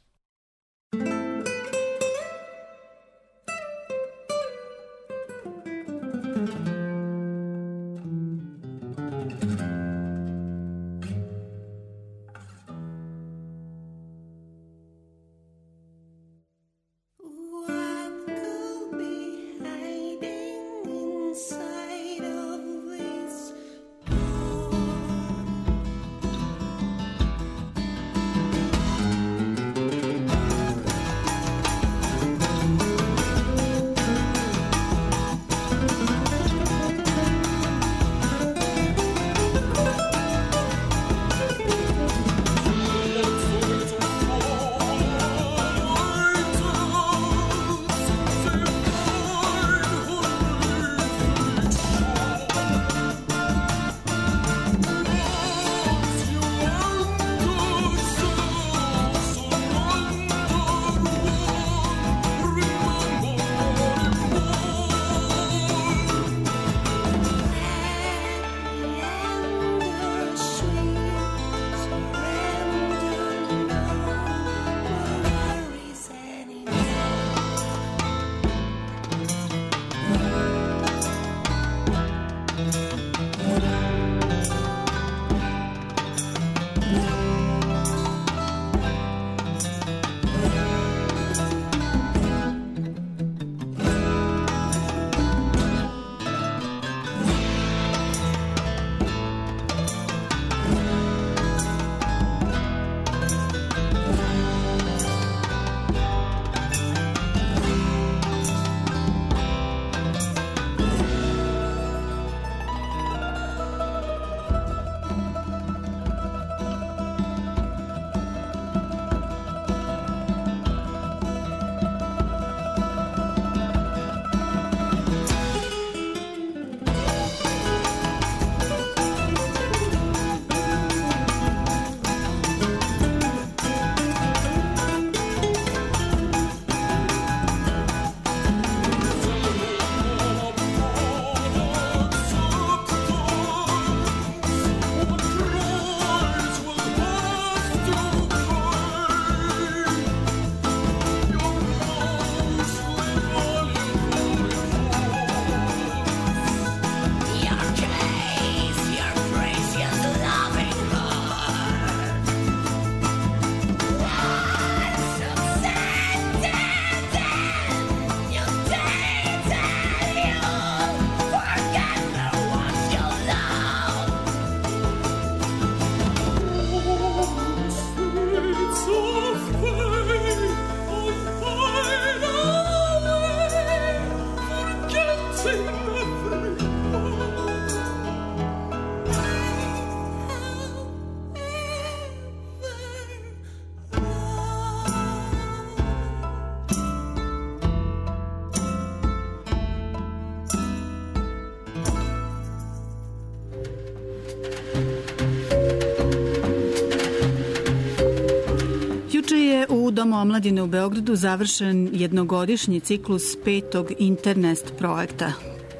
[SPEAKER 5] Domu omladine u Beogradu završen jednogodišnji ciklus petog Internest projekta.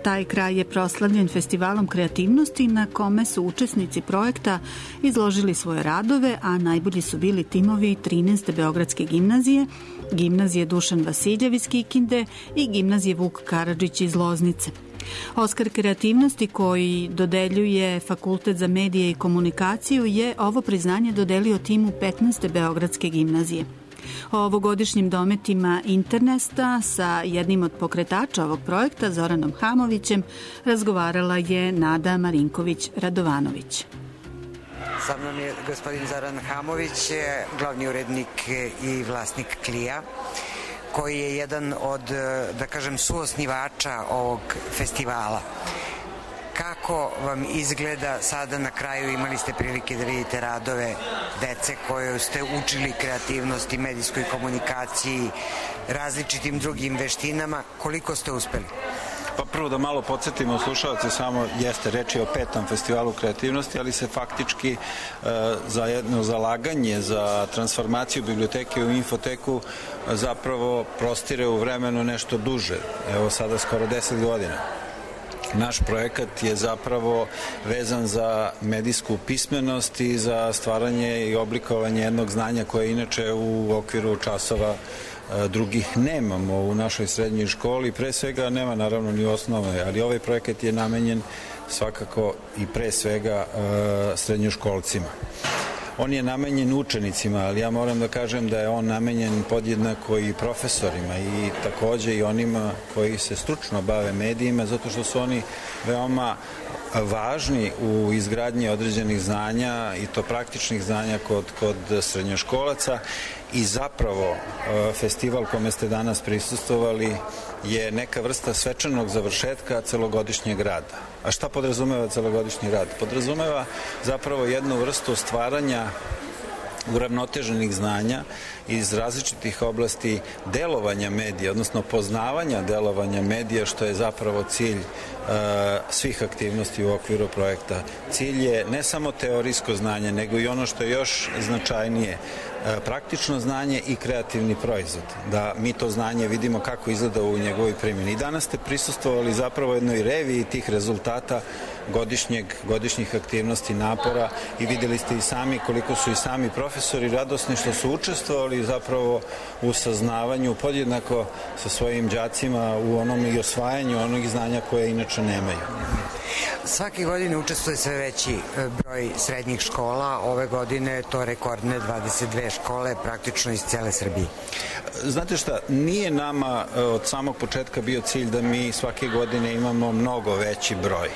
[SPEAKER 5] Taj kraj je proslavljen festivalom kreativnosti na kome su učesnici projekta izložili svoje radove, a najbolji su bili timovi trinaeste Beogradske gimnazije, gimnazije Dušan Vasiljev iz Kikinde i gimnazije Vuk Karadžić iz Loznice. Oskar kreativnosti koji dodeljuje Fakultet za medije i komunikaciju je ovo priznanje dodelio timu petnaeste Beogradske gimnazije. O ovogodišnjim dometima Internesta sa jednim od pokretača ovog projekta, Zoranom Hamovićem, razgovarala je Nada Marinković-Radovanović.
[SPEAKER 19] Sa mnom je gospodin Zoran Hamović, glavni urednik i vlasnik Klija, koji je jedan od, da kažem, suosnivača ovog festivala. Kako vam izgleda sada na kraju, imali ste prilike da vidite radove dece koje ste učili kreativnosti, medijskoj komunikaciji, različitim drugim veštinama, koliko ste uspeli?
[SPEAKER 20] Pa prvo da malo podsjetimo slušalce, samo jeste reči o petom festivalu kreativnosti, ali se faktički e, za jedno zalaganje za transformaciju biblioteke u infoteku e, zapravo prostire u vremenu nešto duže, evo sada skoro deset godina. Naš projekat je zapravo vezan za medijsku pismenost i za stvaranje i oblikovanje jednog znanja koje inače u okviru časova drugih nemamo u našoj srednjoj školi. Pre svega nema naravno ni osnove, ali ovaj projekat je namenjen svakako i pre svega srednjoškolcima. On je namenjen učenicima, ali ja moram da kažem da je on namenjen podjednako i profesorima i takođe i onima koji se stručno bave medijima, zato što su oni veoma važni u izgradnji određenih znanja i to praktičnih znanja kod, kod srednjoškolaca i zapravo festival kome ste danas prisustvovali je neka vrsta svečanog završetka celogodišnjeg rada. A šta podrazumeva celogodišnji rad? Podrazumeva zapravo jednu vrstu stvaranja uravnoteženih znanja iz različitih oblasti delovanja medija, odnosno poznavanja delovanja medija, što je zapravo cilj uh, svih aktivnosti u okviru projekta. Cilj je ne samo teorijsko znanje, nego i ono što je još značajnije, uh, praktično znanje i kreativni proizvod. Da mi to znanje vidimo kako izgleda u njegovoj primjeni. I danas ste prisustvovali zapravo jednoj reviji tih rezultata godišnjeg, godišnjih aktivnosti, napora i videli ste i sami koliko su i sami profesori radosni što su učestvovali zapravo u saznavanju podjednako sa svojim đacima u onom i osvajanju onog znanja koje inače nemaju.
[SPEAKER 19] Svake godine učestvuje sve veći broj srednjih škola, ove godine to rekordne dvadeset dve škole praktično iz cele Srbije.
[SPEAKER 20] Znate šta, nije nama od samog početka bio cilj da mi svake godine imamo mnogo veći broj.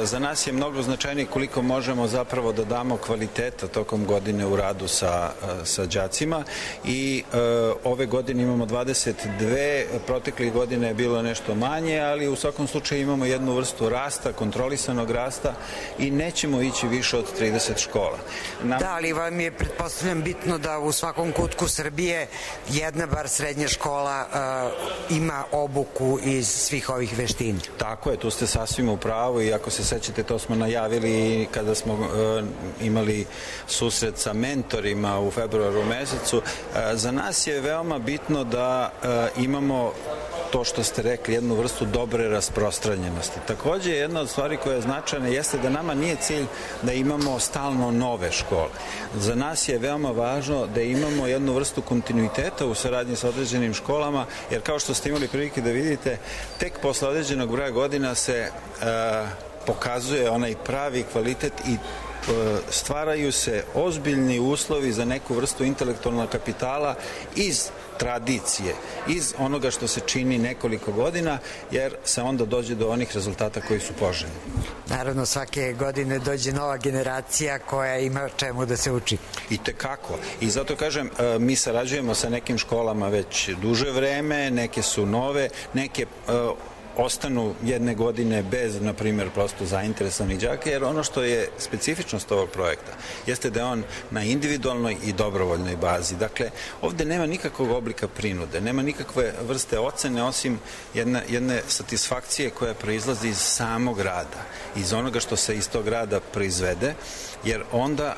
[SPEAKER 20] Za nas je mnogo značajnije koliko možemo zapravo da damo kvaliteta tokom godine u radu sa, sa đacima i e, ove godine imamo dvadeset dve, proteklih godine je bilo nešto manje, ali u svakom slučaju imamo jednu vrstu rasta, kontrolisanog rasta i nećemo ići više od trideset škola.
[SPEAKER 19] Na... Da, ali vam je, pretpostavljam, bitno da u svakom kutku Srbije jedna bar srednja škola uh, ima obuku iz svih ovih veština.
[SPEAKER 20] Tako je, tu ste sasvim u pravu i ako se sećate, to smo najavili kada smo uh, imali susret sa mentorima u februaru mesecu. Uh, za nas je veoma bitno da uh, imamo to što ste rekli, jednu vrstu dobre rasprostranjenosti. Takođe, jedna od stvari koja je značajna jeste da nama nije cilj da imamo stalno nove škole. Za nas je veoma važno da imamo jednu vrstu kontinuiteta u saradnji sa određenim školama, jer kao što ste imali prilike da vidite, tek posle određenog broja godina se e, pokazuje onaj pravi kvalitet i stvaraju se ozbiljni uslovi za neku vrstu intelektualnog kapitala iz tradicije, iz onoga što se čini nekoliko godina, jer se onda dođe do onih rezultata koji su poželjni.
[SPEAKER 19] Naravno, svake godine dođe nova generacija koja ima čemu da se uči.
[SPEAKER 20] I tekako. I zato kažem, mi sarađujemo sa nekim školama već duže vreme, neke su nove, neke ostanu jedne godine bez, na primjer, prosto zainteresovanih đaka, jer ono što je specifičnost ovog projekta jeste da je on na individualnoj i dobrovoljnoj bazi. Dakle, ovde nema nikakvog oblika prinude, nema nikakve vrste ocene, osim jedne, jedne satisfakcije koja proizlazi iz samog rada, iz onoga što se iz tog rada proizvede, jer onda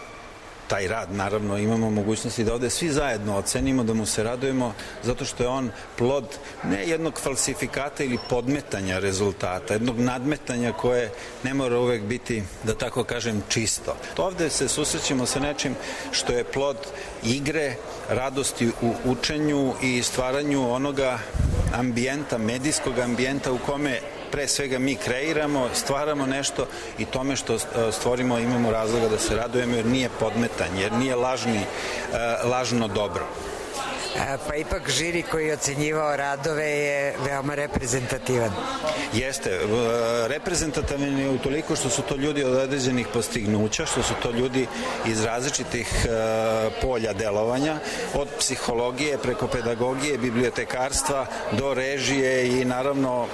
[SPEAKER 20] taj rad, naravno, imamo mogućnosti da ovde svi zajedno ocenimo, da mu se radujemo, zato što je on plod ne jednog falsifikata ili podmetanja rezultata, jednog nadmetanja koje ne mora uvek biti, da tako kažem, čisto. Ovde se susrećemo sa nečim što je plod igre, radosti u učenju i stvaranju onoga ambijenta, medijskog ambijenta u kome pre svega mi kreiramo, stvaramo nešto i tome što stvorimo imamo razloga da se radujemo jer nije podmetanje, jer nije lažni, lažno dobro.
[SPEAKER 19] Pa ipak žiri koji je ocenjivao radove je veoma reprezentativan.
[SPEAKER 20] Jeste, reprezentativan je utoliko što su to ljudi od određenih postignuća, što su to ljudi iz različitih polja delovanja, od psihologije preko pedagogije, bibliotekarstva do režije i naravno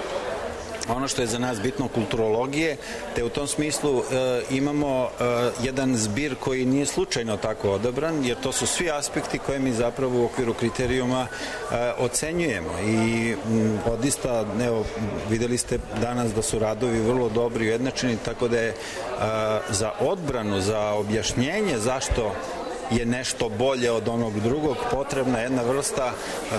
[SPEAKER 20] ono što je za nas bitno, kulturologije, te u tom smislu e, imamo e, jedan zbir koji nije slučajno tako odabran, jer to su svi aspekti koje mi zapravo u okviru kriterijuma e, ocenjujemo i m, odista, evo, videli ste danas da su radovi vrlo dobri i ujednačeni, tako da je e, za odbranu, za objašnjenje zašto je nešto bolje od onog drugog, potrebna jedna vrsta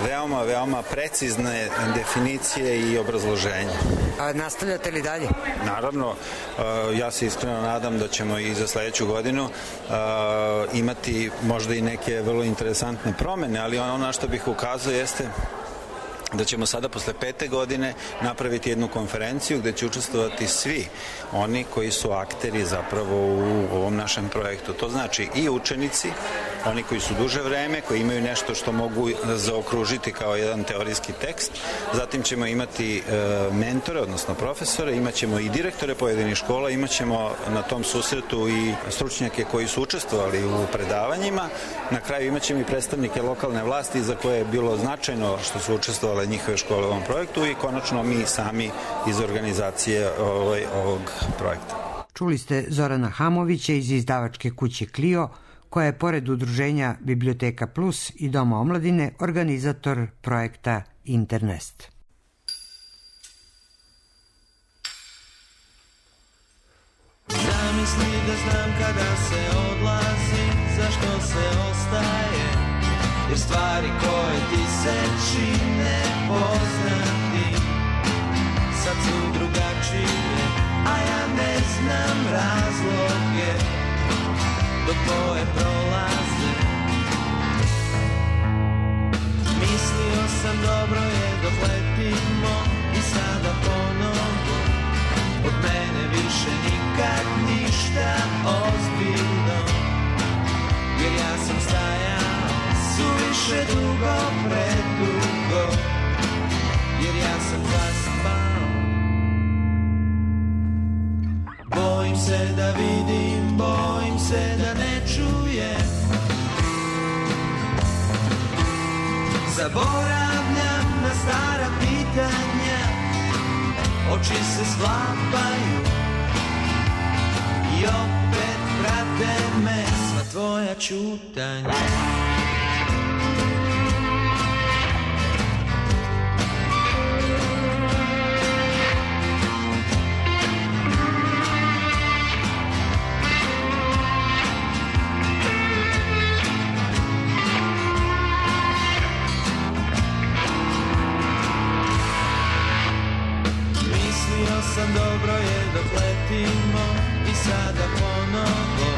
[SPEAKER 20] veoma, veoma precizne definicije i obrazloženja.
[SPEAKER 19] A nastavljate li dalje?
[SPEAKER 20] Naravno, ja se iskreno nadam da ćemo i za sledeću godinu imati možda i neke vrlo interesantne promene, ali ono na što bih ukazao jeste da ćemo sada posle pete godine napraviti jednu konferenciju gde će učestvovati svi oni koji su akteri zapravo u ovom našem projektu. To znači i učenici, oni koji su duže vreme, koji imaju nešto što mogu zaokružiti kao jedan teorijski tekst. Zatim ćemo imati mentore, odnosno profesore, imaćemo i direktore pojedinih škola, imaćemo na tom susretu i stručnjake koji su učestvovali u predavanjima. Na kraju imaćemo i predstavnike lokalne vlasti za koje je bilo značajno što su učestvovali njihove škole u ovom projektu i konačno mi sami iz organizacije ovaj, ovog projekta.
[SPEAKER 19] Čuli ste Zorana Hamovića iz izdavačke kuće Clio, koja je pored udruženja Biblioteka Plus i Doma omladine organizator projekta Internest.
[SPEAKER 14] Zamisli da znam kada se odlazi, zašto se ostaje, jer stvari koje ti se čine poznati sad su drugačije, a ja ne znam razloge dok tvoje prolaze. Mislio sam dobro je dok letimo i sada ponovo od mene više nikad ništa ozbiljno, jer ja sam stajao suviše dugo, predugo, jer ja sam zaspao. Bojim se da vidim, bojim se da ne čujem, zaboravljam na stara pitanja, oči se sklapaju i opet prate me sva tvoja ćutanja. Sam dobro je dok letimo i sada ponovo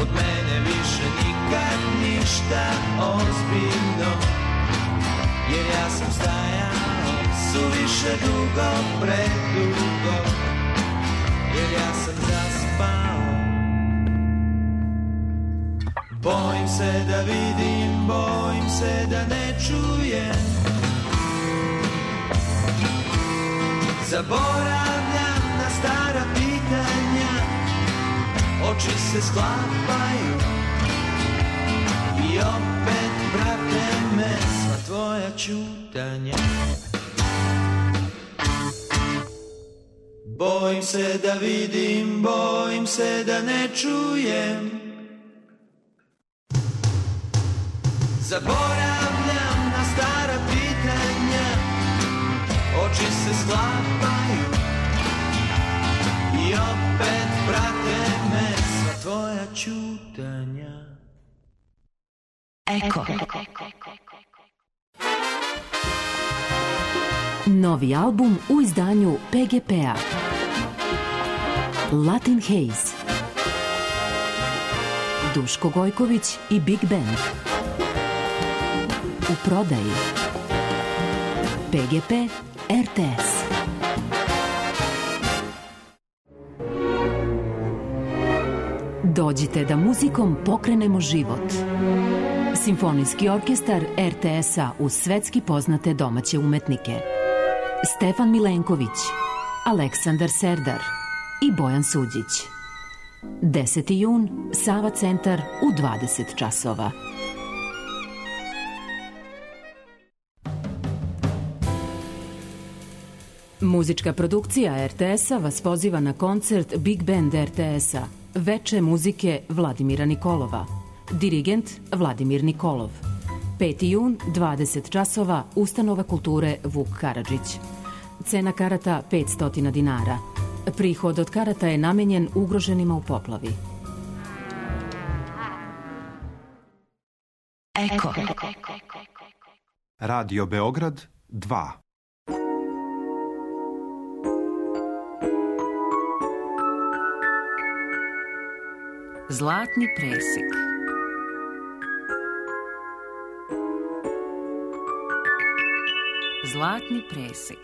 [SPEAKER 14] od mene više nikad ništa ozbiljno, jer ja sam stajao suviše dugo, predugo, jer ja sam zaspao. Bojim se da vidim, bojim se da ne čujem, zaboravljam na stara pitanja, oči se sklapaju i opet prate me sva tvoja ćutanja. Bojim se da vidim, bojim se da ne čujem, zaboravljam na stara pitanja, oči se sklapaju i opet prate me sva tvoja ćutanja.
[SPEAKER 21] Eko. Novi album u izdanju P G P-a. Latin Haze. Duško Gojković i Big Band. U prodaji. P G P R T S. Dođite da muzikom pokrenemo život. Simfonijski orkestar R T S-a uz svetski poznate domaće umetnike. Stefan Milenković, Aleksandar Serdar i Bojan Suđić. deseti jun, Sava centar u dvadeset časova. Muzička produkcija R T S-a vas poziva na koncert Big Band R T S-a. Veče muzike Vladimira Nikolova. Dirigent Vladimir Nikolov. peti jun, dvadeset časova, Ustanova kulture Vuk Karadžić. Cena karata petsto dinara. Prihod od karata je namenjen ugroženima u poplavi. Eko.
[SPEAKER 1] Radio Beograd dva.
[SPEAKER 21] Zlatni presek. Zlatni presek.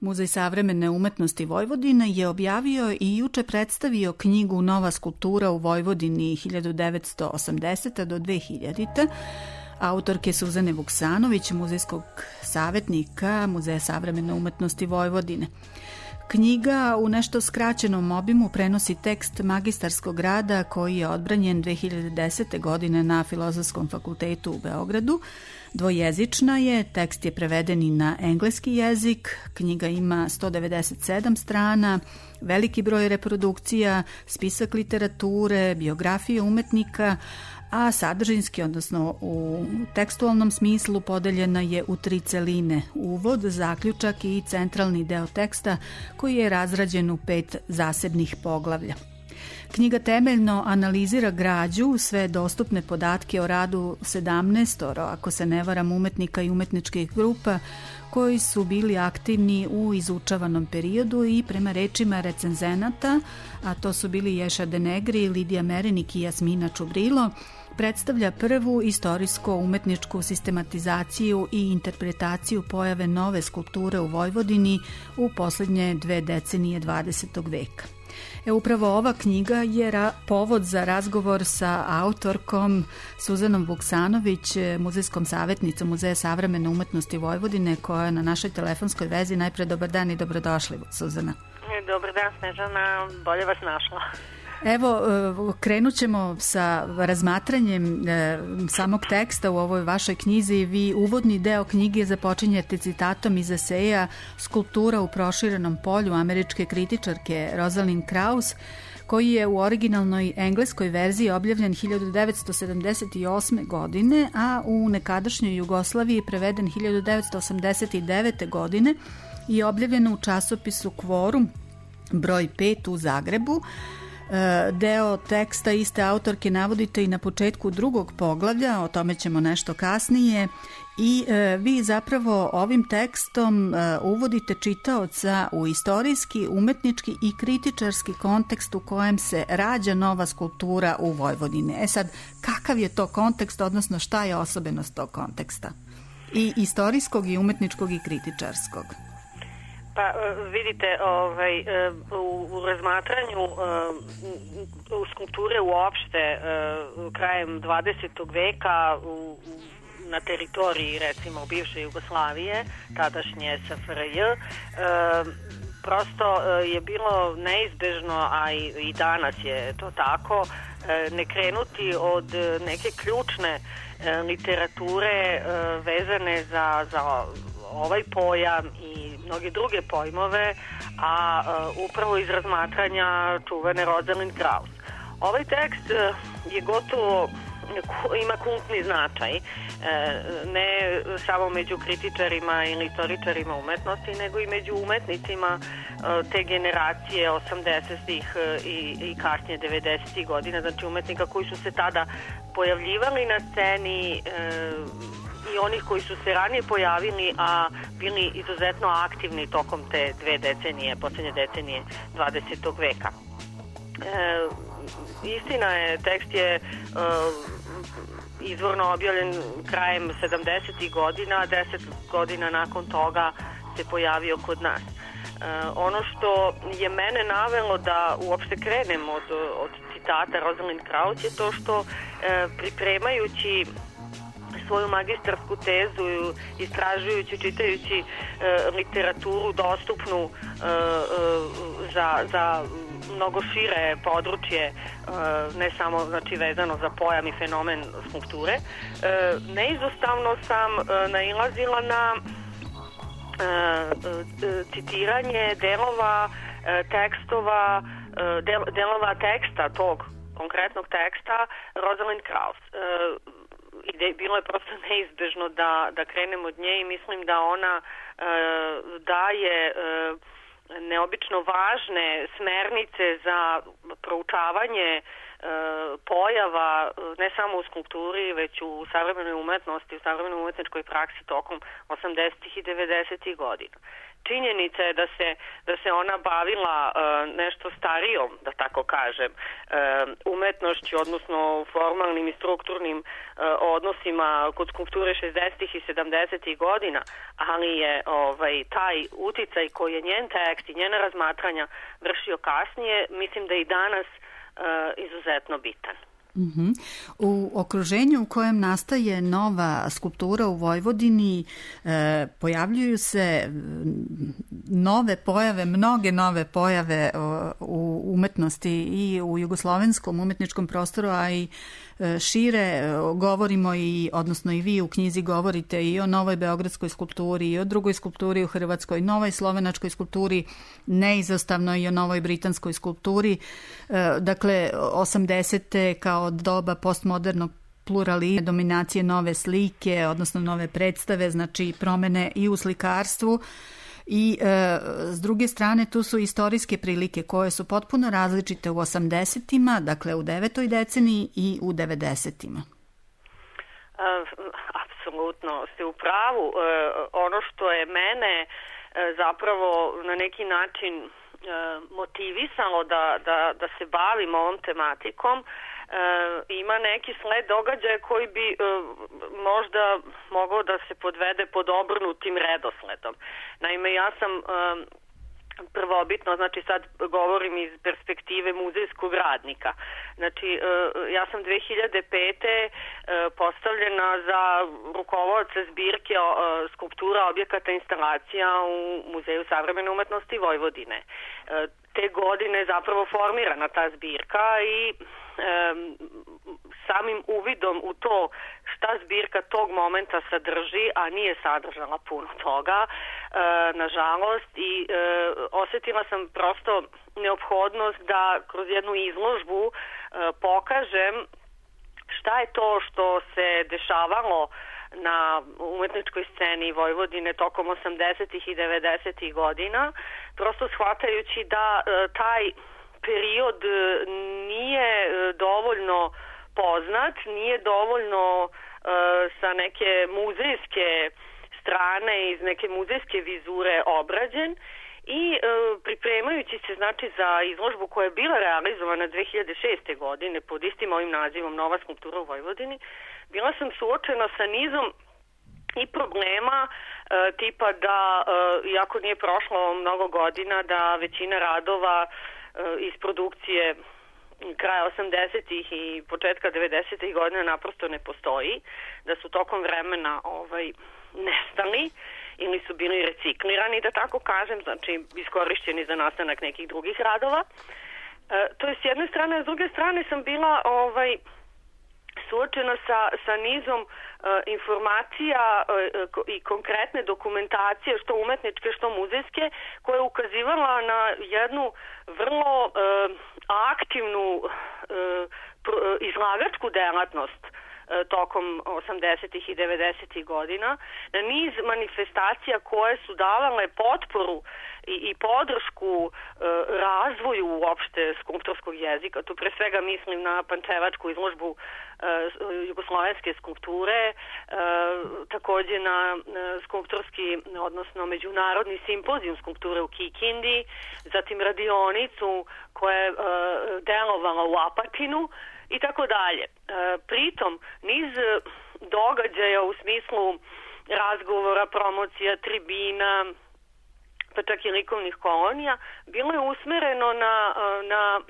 [SPEAKER 5] Muzej savremene umetnosti Vojvodine je objavio i juče predstavio knjigu Nova skulptura u Vojvodini hiljadu devetsto osamdesete do dve hiljadite. Autorke Suzane Vuksanović, muzejskog savjetnika Muzeja savremene umetnosti Vojvodine. Knjiga u nešto skraćenom obimu prenosi tekst magistarskog rada koji je odbranjen dve hiljade desete. godine na Filozofskom fakultetu u Beogradu. Dvojezična je, tekst je preveden i na engleski jezik, knjiga ima sto devedeset sedam strana, veliki broj reprodukcija, spisak literature, biografije umetnika, a sadržinski, odnosno u tekstualnom smislu, podeljena je u tri celine: uvod, zaključak i centralni deo teksta koji je razrađen u pet zasebnih poglavlja. Knjiga temeljno analizira građu, sve dostupne podatke o radu sedamnaestoro, ako se ne varam, umetnika i umetničkih grupa koji su bili aktivni u izučavanom periodu i prema rečima recenzenata, a to su bili Ješa Denegri, Lidija Merenik i Jasmina Čubrilo, predstavlja prvu istorijsko-umetničku sistematizaciju i interpretaciju pojave nove skulpture u Vojvodini u poslednje dve decenije dvadesetog veka. E, upravo ova knjiga je ra- povod za razgovor sa autorkom Suzanom Vuksanović, muzejskom savjetnicom Muzeja savremene umetnosti Vojvodine, koja je na našoj telefonskoj vezi. Najpre dobar dan i dobrodošli, Suzana.
[SPEAKER 22] Dobar dan, Snežana, bolje vas našla.
[SPEAKER 5] Evo, krenut ćemo sa razmatranjem samog teksta u ovoj vašoj knjizi. Vi uvodni deo knjige započinjete citatom iz eseja Skulptura u proširenom polju američke kritičarke Rosalind Krauss, koji je u originalnoj engleskoj verziji objavljen hiljadu devetsto sedamdeset osme. godine, a u nekadašnjoj Jugoslaviji preveden hiljadu devetsto osamdeset devete. godine i objavljen u časopisu Kvorum broj pet u Zagrebu. Deo teksta iste autorke navodite i na početku drugog poglavlja, o tome ćemo nešto kasnije, i vi zapravo ovim tekstom uvodite čitaoca u istorijski, umetnički i kritičarski kontekst u kojem se rađa nova skulptura u Vojvodini. E sad, kakav je to kontekst, odnosno šta je osobenost tog konteksta? I istorijskog, i umetničkog, i kritičarskog.
[SPEAKER 22] Pa vidite, ovaj, u, u razmatranju u skulpture uopšte krajem dvadesetog veka u, na teritoriji, recimo, bivše Jugoslavije, tadašnje S F R J, prosto je bilo neizbežno, a i, i danas je to tako, ne krenuti od neke ključne literature vezane za, za ovaj pojam i mnoge druge pojmove, a upravo iz razmatranja čuvene Rosalind Krauss. Ovaj tekst je gotovo, ima kultni značaj, ne samo među kritičarima ili istoričarima umetnosti, nego i među umetnicima te generacije osamdesetih i, i kasnije devedesetih godina, znači umetnika koji su se tada pojavljivali na sceni i onih koji su se ranije pojavili, a bili izuzetno aktivni tokom te dve decenije, poslednje decenije dvadesetog veka. E, istina je, tekst je e, izvorno objavljen krajem sedamdesetih godina, deset godina nakon toga se pojavio kod nas. E, ono što je mene navelo da uopšte krenem od, od citata Rosalind Krauss je to što e, pripremajući svoju magistarsku tezu, istražujući, čitajući e, literaturu dostupnu e, e, za, za mnogo šire područje, e, ne samo znači, vezano za pojam i fenomen skulpture, e, neizostavno sam e, nailazila na e, e, citiranje delova e, tekstova, e, del, delova teksta tog konkretnog teksta Rosalind Krauss. E, I bilo je prosto neizbežno da, da krenem od nje i mislim da ona e, daje e, neobično važne smernice za proučavanje e, pojava ne samo u skulpturi, već u savremenoj umetnosti, u savremenoj umetničkoj praksi tokom osamdesetih i devedesetih godina. Činjenica je da se, da se ona bavila e, nešto starijom, da tako kažem, e, umetnošću, odnosno formalnim i strukturnim e, odnosima kod skulpture šezdesetih i sedamdesetih godina, ali je ovaj, taj uticaj koji je njen tekst i njena razmatranja vršio kasnije, mislim da je i danas e, izuzetno bitan.
[SPEAKER 5] Uh-huh. U okruženju u kojem nastaje nova skulptura u Vojvodini e, pojavljuju se nove pojave, mnoge nove pojave o, u umetnosti i u jugoslovenskom umetničkom prostoru, a i e, šire govorimo i, odnosno i vi u knjizi govorite i o novoj beogradskoj skulpturi i o drugoj skulpturi u Hrvatskoj, novoj slovenačkoj skulpturi, neizostavno i o novoj britanskoj skulpturi. E, dakle, osamdesete kao doba postmodernog pluralizma, dominacije nove slike, odnosno nove predstave, znači promene i u slikarstvu. I e, s druge strane tu su istorijske prilike koje su potpuno različite u osamdesetima, dakle u devetoj deceniji i u devedesetima.
[SPEAKER 22] Uh, apsolutno ste u pravu. Uh, ono što je mene uh, zapravo na neki način uh, motivisalo da, da, da se bavim ovom tematikom, E, ima neki sled događaja koji bi e, možda mogao da se podvede pod obrnutim redosledom. Naime, ja sam e, prvobitno, znači sad govorim iz perspektive muzejskog radnika. Znači, e, ja sam dve hiljade pete e, postavljena za rukovodca zbirke e, skulptura, objekata, instalacija u Muzeju savremene umetnosti Vojvodine. E, te godine je zapravo formirana ta zbirka i Um, samim uvidom u to šta zbirka tog momenta sadrži, a nije sadržala puno toga, uh, nažalost, i uh, osetila sam prosto neophodnost da kroz jednu izložbu uh, pokažem šta je to što se dešavalo na umetničkoj sceni Vojvodine tokom osamdesetih i devedesetih godina, prosto shvatajući da uh, taj period nije dovoljno poznat, nije dovoljno uh, sa neke muzejske strane, iz neke muzejske vizure obrađen i uh, pripremajući se znači za izložbu koja je bila realizovana dve hiljade šeste. godine pod istim ovim nazivom Nova skulptura u Vojvodini, bila sam suočena sa nizom i problema uh, tipa da, uh, iako nije prošlo mnogo godina, da većina radova iz produkcije kraja osamdesetih i početka devedesetih godina naprosto ne postoji, da su tokom vremena ovaj, nestali ili su bili reciklirani, da tako kažem, znači iskorišćeni za nastanak nekih drugih radova. E, to je s jedne strane, a s druge strane sam bila ovaj, suočena sa, sa nizom e, informacija i konkretne dokumentacije, što umetničke, što muzejske, koja je ukazivala na jednu vrlo aktivnu izlagačku delatnost tokom osamdesetih i devedesetih godina, na niz manifestacija koje su davale potporu i, i podršku e, razvoju uopšte skulptorskog jezika. Tu pre svega mislim na pančevačku izložbu e, jugoslovenske skulpture, e, takođe na e, skulptorski, odnosno međunarodni simpozijum skulpture u Kikindi, zatim radionicu koja je e, delovala u Apatinu, i tako dalje. Pritom, niz događaja u smislu razgovora, promocija, tribina, pa čak i likovnih kolonija, bilo je usmereno na, na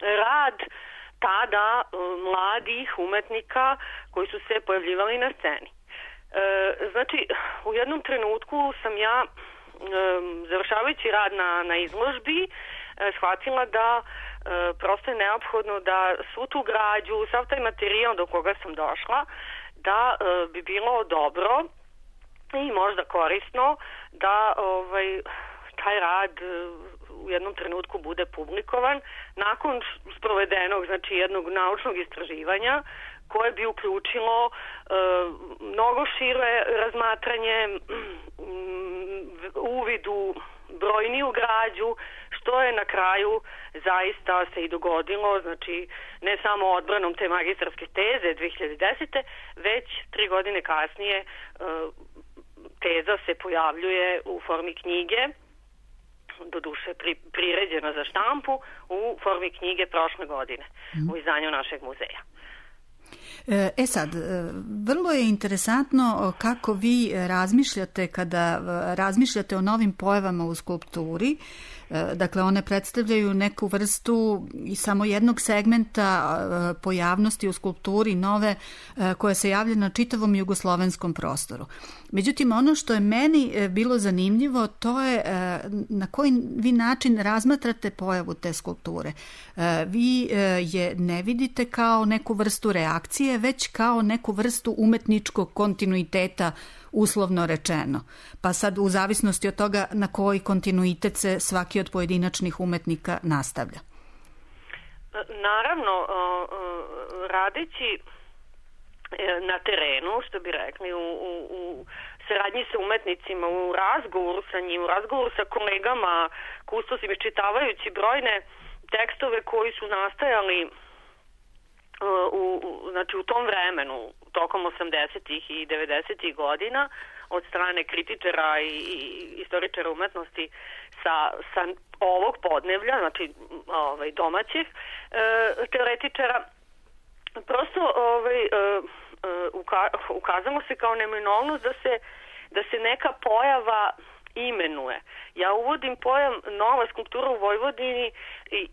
[SPEAKER 22] rad tada mladih umetnika koji su se pojavljivali na sceni. Znači, u jednom trenutku sam ja, završavajući rad na, na izložbi, shvatila da E, prosto je neophodno da svu tu građu, sav taj materijal do koga sam došla, da e, bi bilo dobro i možda korisno da ovaj, taj rad e, u jednom trenutku bude publikovan nakon sprovedenog, znači jednog naučnog istraživanja koje bi uključilo e, mnogo šire razmatranje, uvid u brojniju građu, što je na kraju zaista se i dogodilo, znači ne samo odbranom te magistarske teze dve hiljade desete. već tri godine kasnije teza se pojavljuje u formi knjige, doduše pri, priređena za štampu, u formi knjige prošle godine u izdanju našeg muzeja.
[SPEAKER 5] E sad, vrlo je interesantno kako vi razmišljate kada razmišljate o novim pojavama u skulpturi. Dakle, one predstavljaju neku vrstu i samo jednog segmenta pojavnosti u skulpturi nove koja se javlja na čitavom jugoslovenskom prostoru. Međutim, ono što je meni bilo zanimljivo, to je na koji vi način razmatrate pojavu te skulpture. Vi je ne vidite kao neku vrstu reakcije, već kao neku vrstu umetničkog kontinuiteta, uslovno rečeno. Pa sad u zavisnosti od toga na koji kontinuitet se svaki od pojedinačnih umetnika nastavlja.
[SPEAKER 22] Naravno, radeći na terenu, što bi rekli, u, u, u saradnji sa umetnicima, u razgovoru sa njim, u razgovoru sa kolegama, kustosima, iščitavajući brojne tekstove koji su nastajali U, u, znači u tom vremenu, tokom osamdesetih i devedesetih godina, od strane kritičara i, i istoričara umetnosti sa, sa ovog podneblja, znači ovaj, domaćih e, teoretičara, prosto ovaj, e, uka, ukazalo se kao neminovnost da se, da se neka pojava imenuje. Ja uvodim pojam nova skulptura u Vojvodini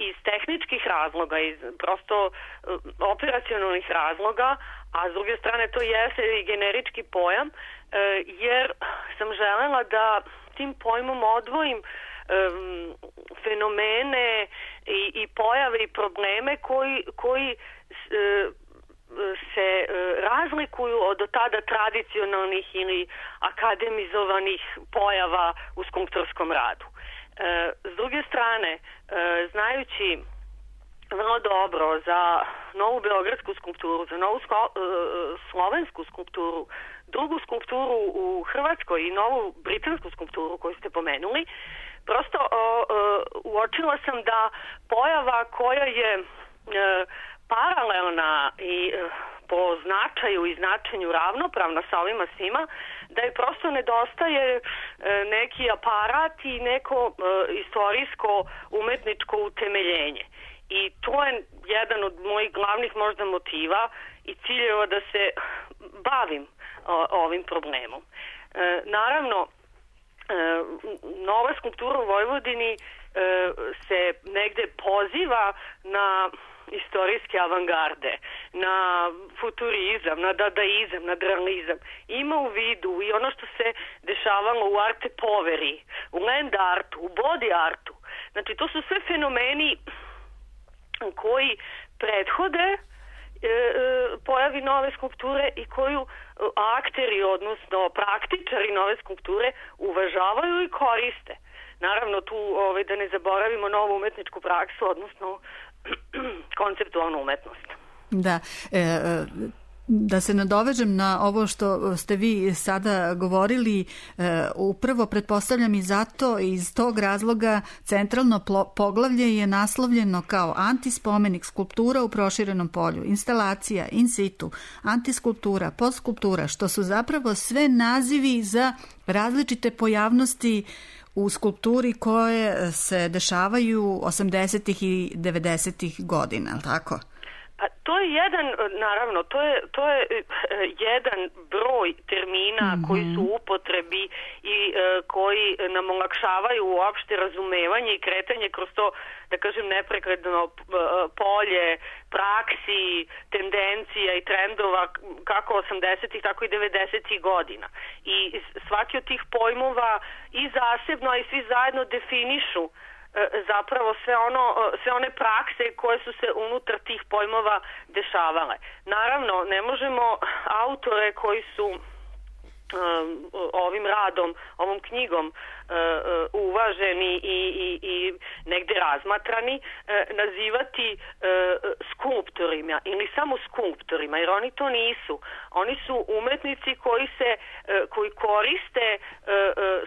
[SPEAKER 22] iz tehničkih razloga, iz prosto operacionalnih razloga, a s druge strane to jeste i generički pojam, jer sam želela da tim pojmom odvojim fenomene i, i pojave i probleme koji, koji se razlikuju od do tada tradicionalnih ili akademizovanih pojava u skulptorskom radu. S druge strane, znajući vrlo dobro za novu beogradsku skulpturu, za novu slovensku skulpturu, drugu skulpturu u Hrvatskoj i novu britansku skulpturu koju ste pomenuli, prosto uočila sam da pojava koja je paralelna i po značaju i značenju ravnopravna sa ovima svima, da je prosto nedostaje neki aparat i neko istorijsko umetničko utemeljenje. I to je jedan od mojih glavnih možda motiva i ciljeva da se bavim ovim problemom. Naravno, nova skulptura u Vojvodini se negde poziva na istorijske avangarde, na futurizam, na dadaizam, na realizam. Ima u vidu i ono što se dešavalo u arte poveri, u land artu, u body artu. Znači, to su sve fenomeni koji prethode pojavi nove skulpture i koju akteri, odnosno praktičari nove skulpture uvažavaju i koriste. Naravno, tu ovaj, da ne zaboravimo novu umetničku praksu, odnosno konceptualnu umetnost.
[SPEAKER 5] Da, e, da se nadovežem na ovo što ste vi sada govorili, e, upravo pretpostavljam i zato, iz tog razloga centralno poglavlje je naslovljeno kao antispomenik, skulptura u proširenom polju, instalacija, in situ, antiskulptura, postskulptura, što su zapravo sve nazivi za različite pojavnosti u skulpturi koje se dešavaju osamdesetih i devedesetih godina, tako?
[SPEAKER 22] A to je jedan, naravno, to je, to je jedan broj termina mm-hmm. koji su u upotrebi i uh, koji nam olakšavaju uopšte razumevanje i kretanje kroz to, da kažem, neprekretno uh, polje praksi, tendencija i trendova kako osamdesetih, tako i devedesetih godina. I svaki od tih pojmova i zasebno, a i svi zajedno definišu zapravo sve ono, sve one prakse koje su se unutar tih pojmova dešavale. Naravno, ne možemo autore koji su ovim radom, ovom knjigom uvaženi i, i, i negde razmatrani, nazivati skulptorima ili samo skulptorima, jer oni to nisu. Oni su umetnici koji se, koji koriste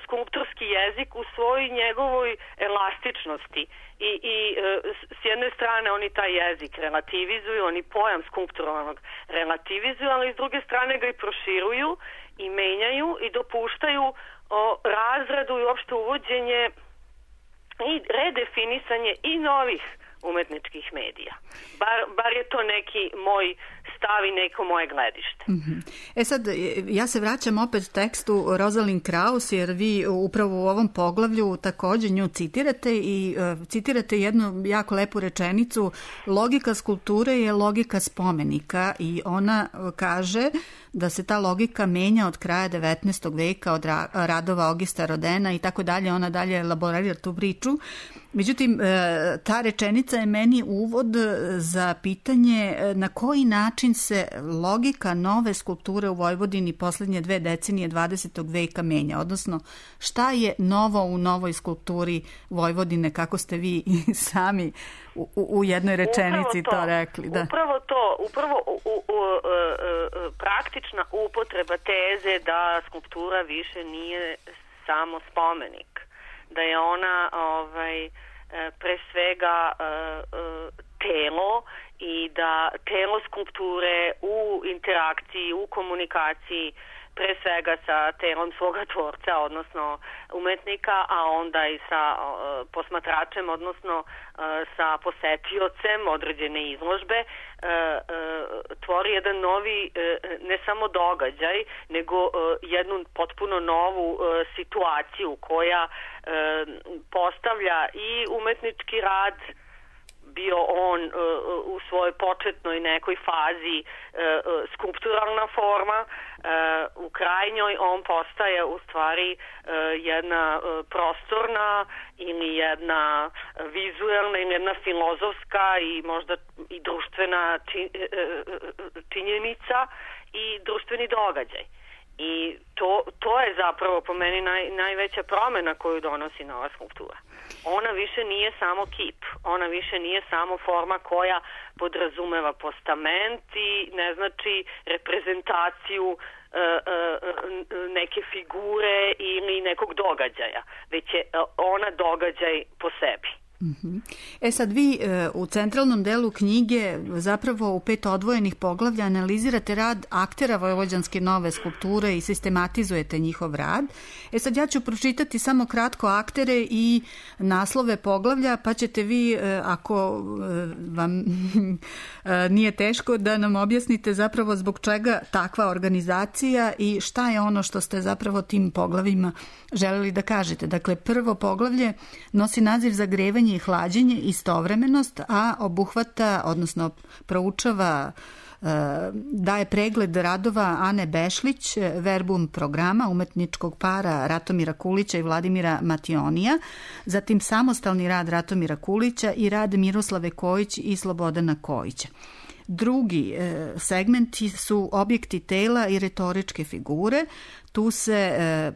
[SPEAKER 22] skulptorski jezik u svojoj njegovoj elastičnosti. I, i s jedne strane oni taj jezik relativizuju, oni pojam skulpturalnog relativizuju, ali s druge strane ga i proširuju i menjaju i dopuštaju o razradu i uopšte uvođenje i redefinisanje i novih umetničkih medija. Bar, bar je to neki moj stav i neko moje gledište.
[SPEAKER 5] Mm-hmm. E sad, ja se vraćam opet tekstu Rosalind Krauss, jer vi upravo u ovom poglavlju takođe nju citirate i uh, citirate jednu jako lepu rečenicu: logika skulpture je logika spomenika, i ona kaže da se ta logika menja od kraja devetnaestog veka, od ra- radova Augusta Rodena i tako dalje. Ona dalje elaborira tu priču. Međutim, ta rečenica je meni uvod za pitanje na koji način se logika nove skulpture u Vojvodini poslednje dve decenije dvadesetog veka menja, odnosno šta je novo u novoj skulpturi Vojvodine, kako ste vi sami u, u jednoj rečenici to, to rekli. Da.
[SPEAKER 22] Upravo to, upravo u, u, u, praktična upotreba teze da skulptura više nije samo spomenik, da je ona ovaj, pre svega telo i da telo skulpture u interakciji, u komunikaciji pre svega sa telom svoga tvorca, odnosno umetnika, a onda i sa uh, posmatračem, odnosno uh, sa posetiocem određene izložbe, uh, uh, tvori jedan novi, uh, ne samo događaj, nego uh, jednu potpuno novu uh, situaciju koja uh, postavlja i umetnički rad, bio on uh, u svojoj početnoj nekoj fazi uh, skulpturalna forma, uh, u krajnjoj on postaje u stvari uh, jedna uh, prostorna ili jedna vizuelna ili jedna filozofska i možda i društvena či, uh, činjenica i društveni događaj. I to, to je zapravo po meni naj, najveća promena koju donosi nova skulptura. Ona više nije samo kip, ona više nije samo forma koja podrazumeva postament i ne znači reprezentaciju e, e, neke figure ili nekog događaja, već je ona događaj po sebi.
[SPEAKER 5] E sad vi u centralnom delu knjige zapravo u pet odvojenih poglavlja analizirate rad aktera vojvođanske nove skulpture i sistematizujete njihov rad. E sad ja ću pročitati samo kratko aktere i naslove poglavlja, pa ćete vi, ako vam nije teško, da nam objasnite zapravo zbog čega takva organizacija i šta je ono što ste zapravo tim poglavima želeli da kažete. Dakle, prvo poglavlje nosi naziv Zagrevanje i hlađenje, istovremenost, a obuhvata, odnosno proučava, daje pregled radova Ane Bešlić, verbum programa umetničkog para Ratomira Kulića i Vladimira Mationija, zatim samostalni rad Ratomira Kulića i rad Miroslave Kojić i Slobodana Kojića. Drugi segmenti su objekti tela i retoričke figure. Tu se e,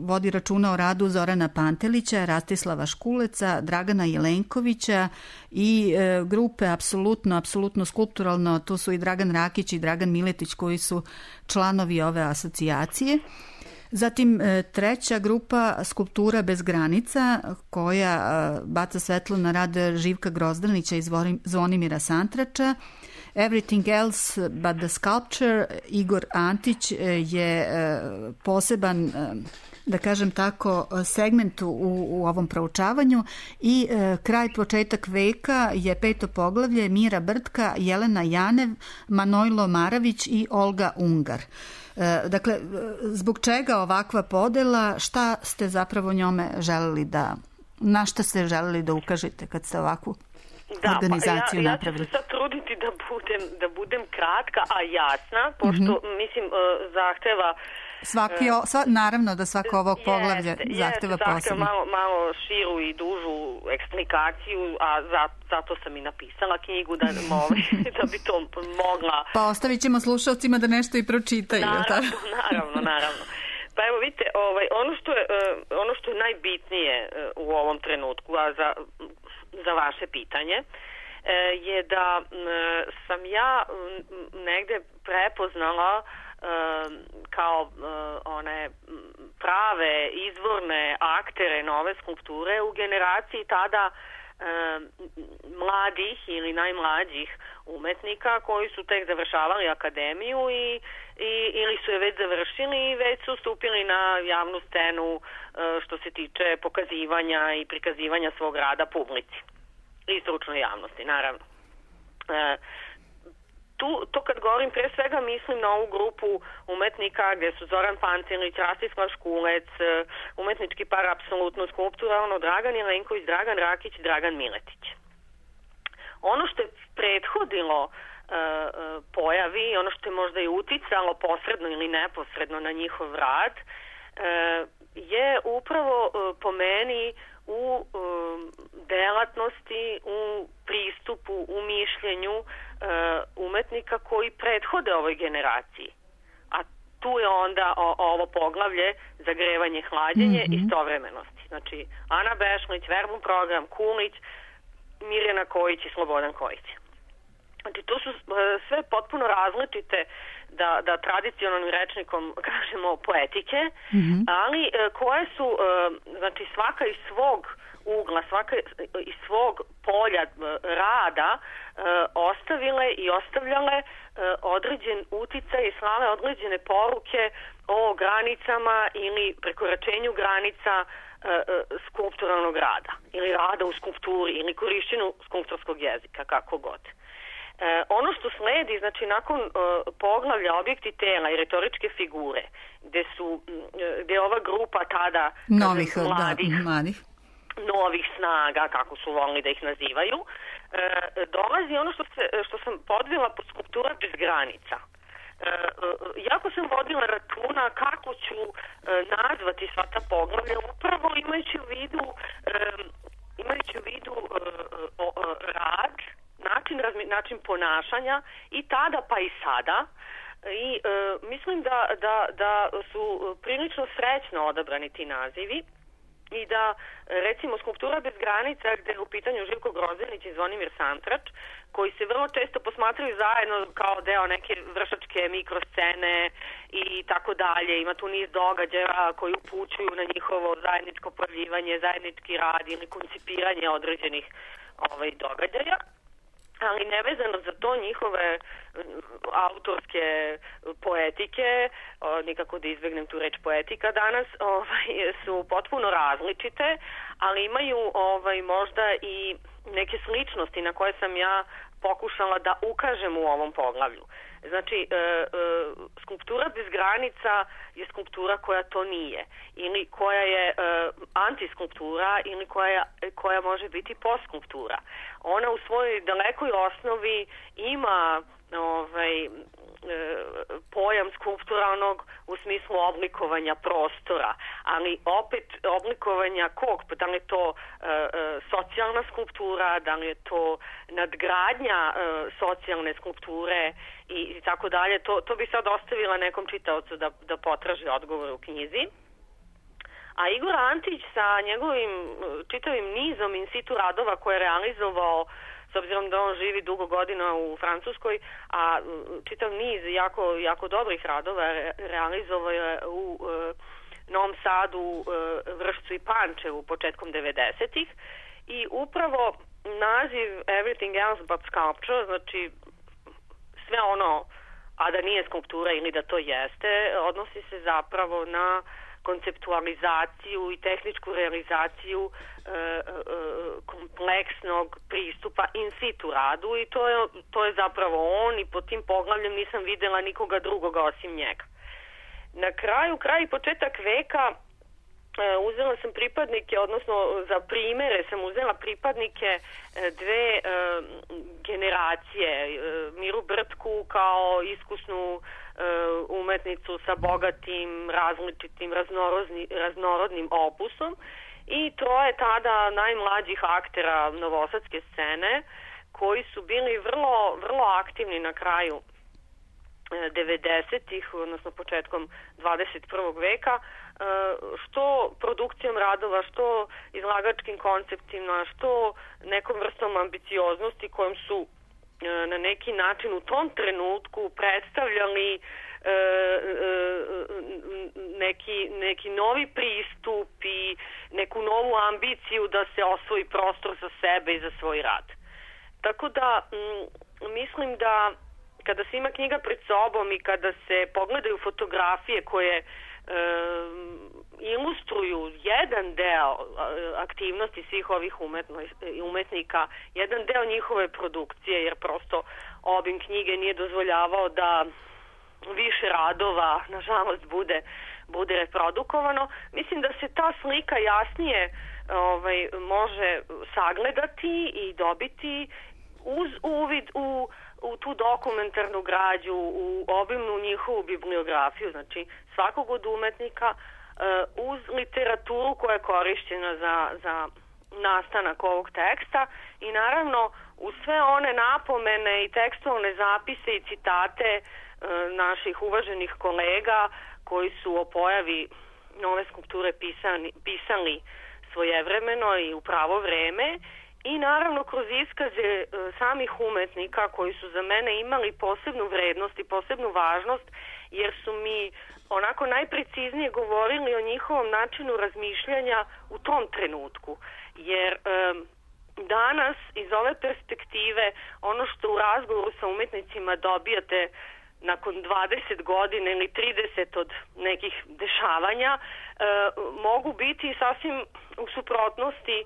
[SPEAKER 5] vodi računa o radu Zorana Pantelića, Rastislava Škuleca, Dragana Jelenkovića i e, grupe apsolutno, apsolutno skulpturalno, tu su i Dragan Rakić i Dragan Miletić koji su članovi ove asocijacije. Zatim e, treća grupa Skulptura bez granica koja e, baca svetlo na rad Živka Grozdanića i Zvonimira Santrača. Everything Else But the Sculpture, Igor Antić je poseban, da kažem tako, segment u, u ovom proučavanju i kraj početak veka je peto poglavlje Mira Brtka, Jelena Janev, Manojlo Maravić i Olga Ungar. Dakle, zbog čega ovakva podela, šta ste zapravo njome želeli da, na šta ste želeli da ukažete kad ste ovakvu
[SPEAKER 22] Da,
[SPEAKER 5] organizaciju
[SPEAKER 22] pa ja,
[SPEAKER 5] napravili?
[SPEAKER 22] Ja ću se sad truditi da budem, da budem kratka, a jasna, pošto, mm-hmm. mislim, zahteva...
[SPEAKER 5] Svaki, o, sva, naravno da svako ovog poglavlja
[SPEAKER 22] jeste,
[SPEAKER 5] zahteva
[SPEAKER 22] jeste,
[SPEAKER 5] posebno.
[SPEAKER 22] Malo, malo širu i dužu eksplikaciju, a za, zato sam i napisala knjigu da, da bi to mogla...
[SPEAKER 5] Pa ostavit ćemo slušalcima da nešto i pročitaju.
[SPEAKER 22] Naravno, naravno, naravno. Pa evo vidite, ovaj, ono, što je, ono što je najbitnije u ovom trenutku, a za... za vaše pitanje, je da sam ja negde prepoznala kao one prave izvorne aktere nove skulpture u generaciji tada mladih ili najmlađih umetnika koji su tek završavali akademiju i, i, ili su je već završili i već su stupili na javnu scenu što se tiče pokazivanja i prikazivanja svog rada publici i stručnoj javnosti, naravno. E, tu, to kad govorim, pre svega mislim na ovu grupu umetnika gde su Zoran Pantelić, Rastislav Škulec, umetnički par apsolutno skulpturalno, Dragan Jelenković, Dragan Rakić i Dragan Miletić. Ono što je prethodilo uh, pojavi, ono što je možda i uticalo posredno ili neposredno na njihov rad, uh, je upravo uh, po meni u uh, delatnosti, u pristupu, u mišljenju uh, umetnika koji prethode ovoj generaciji. A tu je onda o, ovo poglavlje zagrevanje, hlađenje mm-hmm. istovremenosti. Znači, Ana Bešlić, Verbum program, Kulić, Mirjana Kojić i Slobodan Kojić. Znači, to su sve potpuno različite, da, da tradicionalnim rečnikom kažemo, poetike, mm-hmm. ali koje su, znači, svaka iz svog ugla, svaka iz svog polja rada ostavile i ostavljale određen uticaj i slale određene poruke o granicama ili prekoračenju granica skulpturalnog rada ili rada u skulpturi ili korišćenju skulpturskog jezika, kako god. E, ono što sledi, znači nakon e, poglavlja objekti tela i retoričke figure, gde su, gde je ova grupa tada
[SPEAKER 5] novih,
[SPEAKER 22] kažem, mladih,
[SPEAKER 5] da, mladih
[SPEAKER 22] novih snaga, kako su volili da ih nazivaju, e, dolazi ono što, se, što sam podvela pod skulptura bez granica. Uh, jako sam vodila računa kako ću uh, nazvati sva ta poglavlja, upravo imajući u vidu um, imajući u vidu uh, uh, rad, način, razmi, način ponašanja i tada pa i sada i uh, mislim da, da, da su prilično srećno odabrani ti nazivi i da, recimo, skulptura bez granica, gde je u pitanju Živko Grozdanić i Zvonimir Santrač, koji se vrlo često posmatraju zajedno kao deo neke vršačke mikroscene i tako dalje. Ima tu niz događaja koji upućuju na njihovo zajedničko pojavljivanje, zajednički rad ili koncipiranje određenih ovaj, događaja. Ali nevezano za to njihove autorske poetike, nikako da izbegnem tu reč poetika danas, ovaj, su potpuno različite, ali imaju ovaj, možda i neke sličnosti na koje sam ja pokušala da ukažem u ovom poglavlju. Znači, e, e, skulptura bez granica je skulptura koja to nije, ili koja je e, antiskulptura, ili koja, koja može biti postskulptura. Ona u svojoj dalekoj osnovi ima ovaj, pojam skulpturalnog u smislu oblikovanja prostora, ali opet oblikovanja kog, da li je to e, e, socijalna skulptura, da li je to nadgradnja e, socijalne skulpture i, i tako dalje, to, to bi sad ostavila nekom čitaocu da, da potraži odgovor u knjizi. A Igor Antić sa njegovim čitavim nizom in situ radova koje je realizovao, s obzirom da on živi dugo godina u Francuskoj, a čitav niz jako, jako dobrih radova re, realizovao je u e, Novom Sadu, e, Vršcu i Pančevu početkom devedesetih i upravo naziv Everything Else But Sculpture, znači sve ono, a da nije skulptura ili da to jeste, odnosi se zapravo na konceptualizaciju i tehničku realizaciju e, e, kompleksnog pristupa in situ radu i to je, to je zapravo on i pod tim poglavljem nisam videla nikoga drugoga osim njega. Na kraju, kraj i početak veka e, uzela sam pripadnike, odnosno za primere sam uzela pripadnike e, dve e, generacije. E, Miru Brtku kao iskusnu umetnicu sa bogatim, različitim, raznorodnim opusom i troje tada najmlađih aktera novosadske scene koji su bili vrlo, vrlo aktivni na kraju devedesetih, odnosno početkom dvadeset prvog veka, što produkcijom radova, što izlagačkim konceptima, što nekom vrstom ambicioznosti kojom su na neki način u tom trenutku predstavljali e, e, neki, neki novi pristup i neku novu ambiciju da se osvoji prostor za sebe i za svoj rad. Tako da m, mislim da kada se ima knjiga pred sobom i kada se pogledaju fotografije koje e, ilustruju jedan deo aktivnosti svih ovih umetno, umetnika, jedan deo njihove produkcije, jer prosto obim knjige nije dozvoljavao da više radova, nažalost, bude, bude reprodukovano. Mislim da se ta slika jasnije ovaj, može sagledati i dobiti uz uvid u u tu dokumentarnu građu, u obimnu njihovu bibliografiju, znači svakog od umetnika, uz literaturu koja je korišćena za, za nastanak ovog teksta i naravno uz sve one napomene i tekstualne zapise i citate naših uvaženih kolega koji su o pojavi nove skulpture pisani, pisali svojevremeno i u pravo vreme i naravno kroz iskaze e, samih umetnika koji su za mene imali posebnu vrednost i posebnu važnost jer su mi onako najpreciznije govorili o njihovom načinu razmišljanja u tom trenutku. Jer e, danas iz ove perspektive ono što u razgovoru sa umetnicima dobijate nakon dvadeset godina ili trideset od nekih dešavanja e, mogu biti sasvim u suprotnosti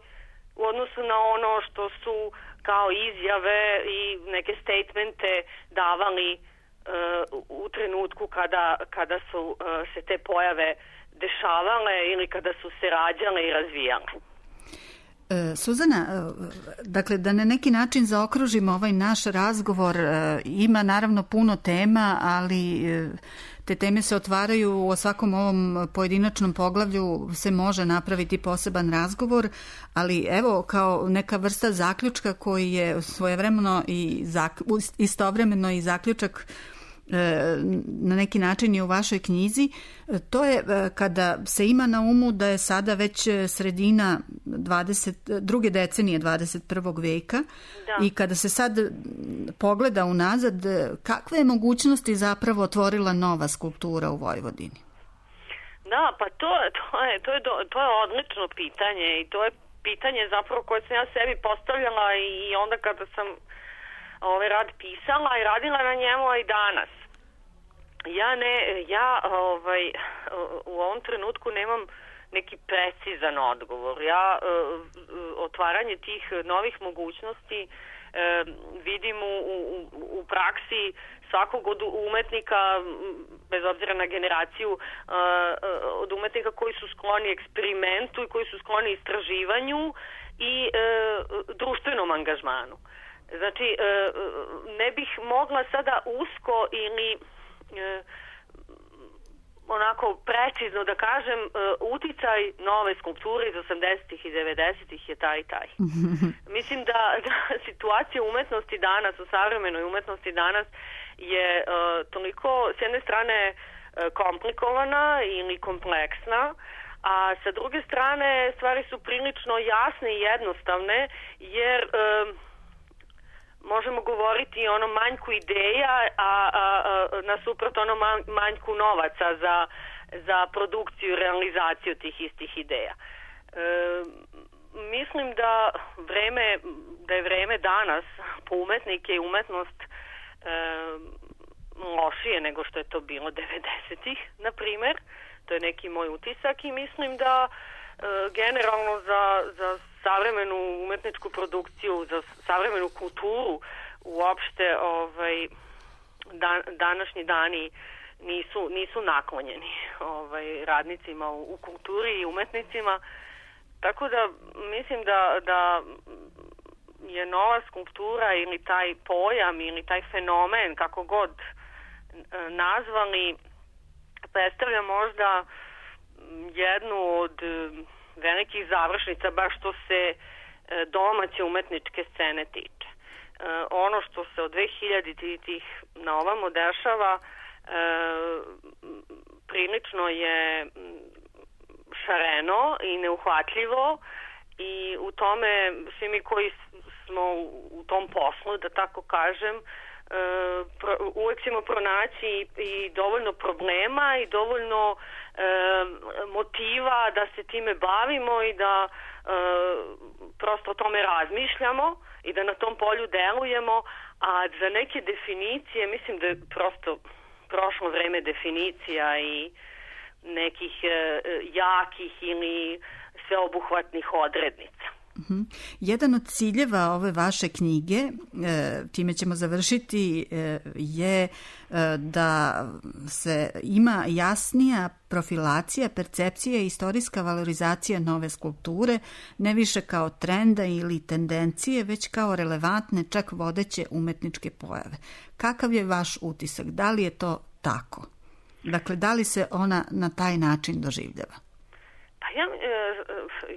[SPEAKER 22] u odnosu na ono što su kao izjave i neke statemente davali uh, u trenutku kada, kada su uh, se te pojave dešavale ili kada su se rađale i razvijale.
[SPEAKER 5] E, Suzana, dakle da na neki način zaokružimo ovaj naš razgovor, e, ima naravno puno tema, ali e, te teme se otvaraju u svakom ovom pojedinačnom poglavlju se može napraviti poseban razgovor, ali evo kao neka vrsta zaključka koji je svojevremeno i zak, istovremeno i zaključak na neki način i u vašoj knjizi, to je kada se ima na umu da je sada već sredina dvadeset, druge decenije dvadeset prvog veka da. I kada se sad pogleda unazad, kakve je mogućnosti zapravo otvorila nova skulptura u Vojvodini?
[SPEAKER 22] Da, pa to, to, je, to, je, to je odlično pitanje i to je pitanje zapravo koje sam ja sebi postavljala i onda kada sam ovaj rad pisala i radila na njemu i danas. Ja ne, ja ovaj, u ovom trenutku nemam neki precizan odgovor. Ja otvaranje tih novih mogućnosti vidim u, u, u praksi svakog od umetnika, bez obzira na generaciju, od umetnika koji su skloni eksperimentu i koji su skloni istraživanju i e, društvenom angažmanu. Znači, e, ne bih mogla sada usko ili e, onako precizno da kažem, e, uticaj nove skulpture iz osamdesetih i devedesetih je taj i taj. Mislim da, da situacija umetnosti danas, u savremenoj umetnosti danas je e, toliko s jedne strane e, komplikovana ili kompleksna, a sa druge strane stvari su prilično jasne i jednostavne, jer e, možemo govoriti o onom manjku ideja, a, a, a nasuprot onom manjku novaca za, za produkciju i realizaciju tih istih ideja. E, mislim da vreme, da je vreme danas po umetnike i umetnost e, lošije nego što je to bilo devedesetih, na primer. To je neki moj utisak i mislim da e, generalno za, za savremenu umetničku produkciju, za savremenu kulturu uopšte ovaj, dan, današnji dani nisu, nisu naklonjeni ovaj, radnicima u, u kulturi i umetnicima. Tako da mislim da, da je nova skulptura ili taj pojam ili taj fenomen, kako god nazvali, predstavlja možda jednu od velikih završnica, baš što se domaće umetničke scene tiče. Ono što se od dve hiljaditih na ovamo dešava prilično je šareno i neuhvatljivo i u tome svi mi koji smo u tom poslu, da tako kažem, uvek ćemo pronaći i dovoljno problema i dovoljno motiva da se time bavimo i da prosto o tome razmišljamo i da na tom polju delujemo, a za neke definicije mislim da je prosto prošlo vreme definicija i nekih jakih ili sveobuhvatnih odrednica.
[SPEAKER 5] Uh-huh. Jedan od ciljeva ove vaše knjige, e, time ćemo završiti, e, je e, da se ima jasnija profilacija, percepcija i istorijska valorizacija nove skulpture, ne više kao trenda ili tendencije, već kao relevantne, čak vodeće umetničke pojave. Kakav je vaš utisak? Da li je to tako? Dakle, da li se ona na taj način doživljava?
[SPEAKER 22] Pa ja,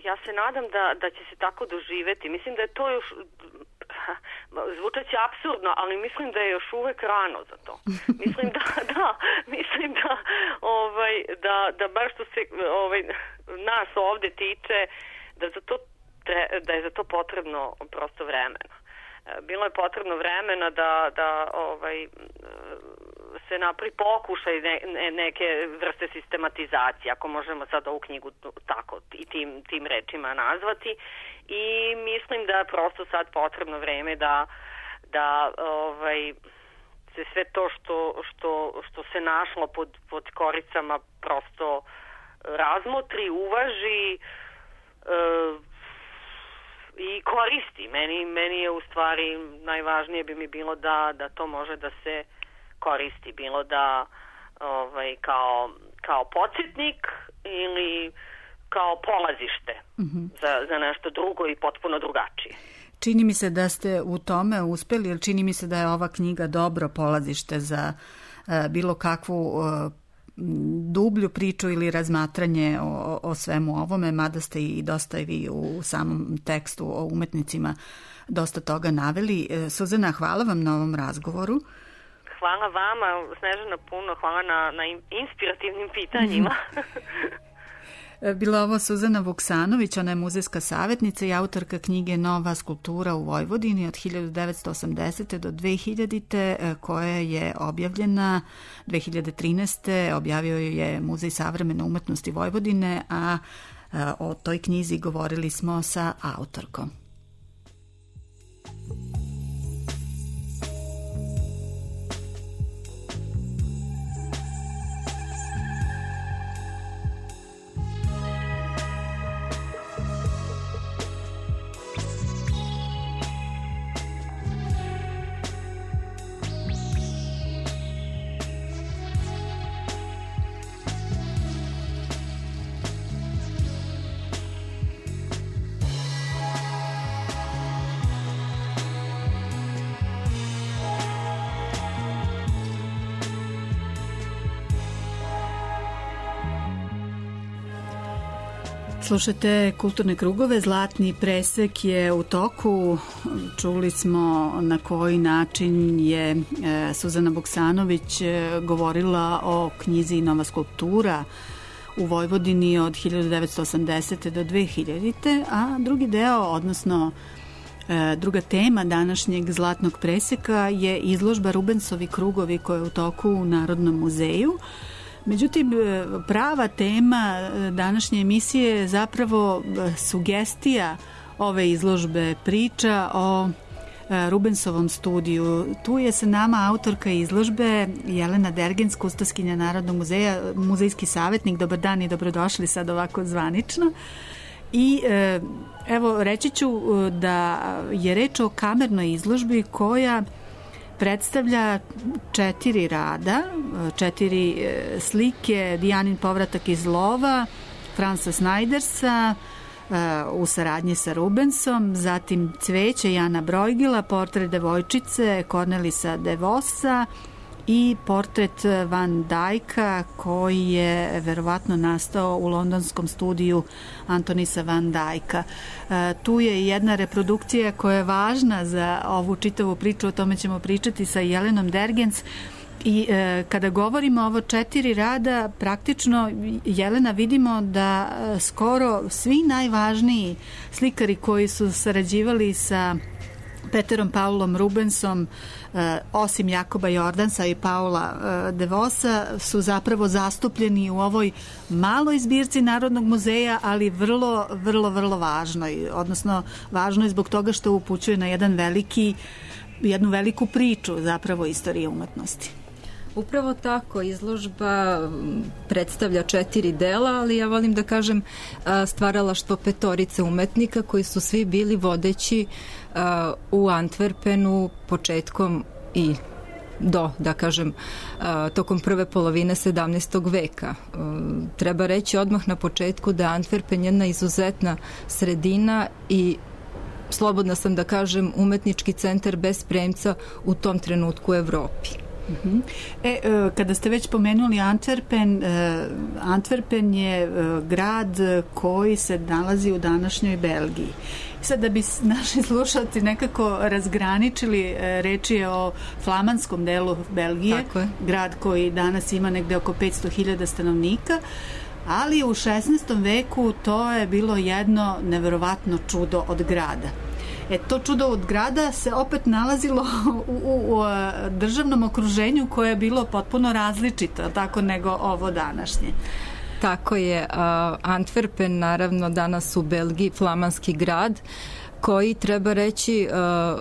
[SPEAKER 22] ja se nadam da, da će se tako doživeti. Mislim da je to još, zvučaće apsurdno, ali mislim da je još uvek rano za to. Mislim da, da, mislim da, ovaj, da, da baš što se ovaj, nas ovde tiče, da, za to, da je za to potrebno prosto vremena. Bilo je potrebno vremena da, da ovaj, se napravi pokušaj ne, ne, neke vrste sistematizacije, ako možemo sad ovu knjigu tako i tim, tim rečima nazvati. I mislim da je prosto sad potrebno vreme da, da ovaj, se sve to što, što, što se našlo pod, pod koricama prosto razmotri, uvaži e, i koristi. Meni, meni je u stvari najvažnije bi mi bilo da, da to može da se koristi, bilo da ovaj, kao, kao podsjetnik ili kao polazište uh-huh. za, za nešto drugo i potpuno drugačije.
[SPEAKER 5] Čini mi se da ste u tome uspeli, jer čini mi se da je ova knjiga dobro polazište za uh, bilo kakvu uh, dublju priču ili razmatranje o, o svemu ovome, mada ste i dosta i vi u samom tekstu o umetnicima dosta toga naveli. Suzana, hvala vam na ovom razgovoru.
[SPEAKER 22] Hvala vama, Snežana, puno. Hvala na, na inspirativnim pitanjima.
[SPEAKER 5] Bila ovo Suzana Vuksanović, ona je muzejska savjetnica i autorka knjige Nova skulptura u Vojvodini od hiljadu devetsto osamdesete do dve hiljadite koja je objavljena dve hiljade trinaeste. Objavio je Muzej savremene umetnosti Vojvodine, a o toj knjizi govorili smo sa autorkom. Slušate Kulturne krugove, Zlatni presek je u toku. Čuli smo na koji način je Suzana Buksanović govorila o knjizi Nova skulptura u Vojvodini od hiljadu devetsto osamdesete do dve hiljadite. A drugi deo, odnosno druga tema današnjeg Zlatnog preseka je izložba Rubensovi krugovi koja je u toku u Narodnom muzeju. Međutim, prava tema današnje emisije je zapravo sugestija ove izložbe, priča o Rubensovom studiju. Tu je sa nama autorka izložbe Jelena Dergens, kustoskinja Narodnog muzeja, muzejski savjetnik. Dobar dan i dobrodošli sad ovako zvanično. I evo, reći ću da je reč o kamernoj izložbi koja predstavlja četiri rada, četiri slike: Dijanin povratak iz lova, Franza Snajdersa u saradnji sa Rubensom, zatim Cveće Jana Brojgila, portret devojčice Cornelisa de Vosa i portret Van Dijka koji je verovatno nastao u londonskom studiju Antonisa Van Dijka. E, tu je jedna reprodukcija koja je važna za ovu čitavu priču, o tome ćemo pričati sa Jelenom Dergens. I e, kada govorimo o ovo četiri rada, praktično, Jelena, vidimo da e, skoro svi najvažniji slikari koji su sarađivali sa Peterom Paulom Rubensom, eh, osim Jakoba Jordansa i Paula eh, de Vosa, su zapravo zastupljeni u ovoj maloj zbirci Narodnog muzeja, ali vrlo, vrlo, vrlo važnoj. Odnosno, važno je zbog toga što upućuje na jedan veliki, jednu veliku priču zapravo istorije umetnosti.
[SPEAKER 2] Upravo tako, izložba predstavlja četiri dela, ali ja volim da kažem stvaralaštvo petorice umetnika koji su svi bili vodeći u Antwerpenu početkom i do, da kažem, tokom prve polovine sedamnaestog veka. Treba reći odmah na početku da je Antwerpen jedna izuzetna sredina i slobodna sam da kažem umetnički centar bez premca u tom trenutku u Evropi.
[SPEAKER 5] Uh-huh. E, kada ste već pomenuli Antwerpen, Antwerpen je grad koji se nalazi u današnjoj Belgiji. Sad, da bi naši slušalci nekako razgraničili, reč je o flamanskom delu Belgije, grad koji danas ima negde oko petsto hiljada stanovnika, ali u šesnaestom veku to je bilo jedno neverovatno čudo od grada. E, to čudo od grada se opet nalazilo u, u, u državnom okruženju koje je bilo potpuno različito, tako nego ovo današnje.
[SPEAKER 2] Tako je. Uh, Antwerpen, naravno, danas u Belgiji, flamanski grad, koji, treba reći, uh,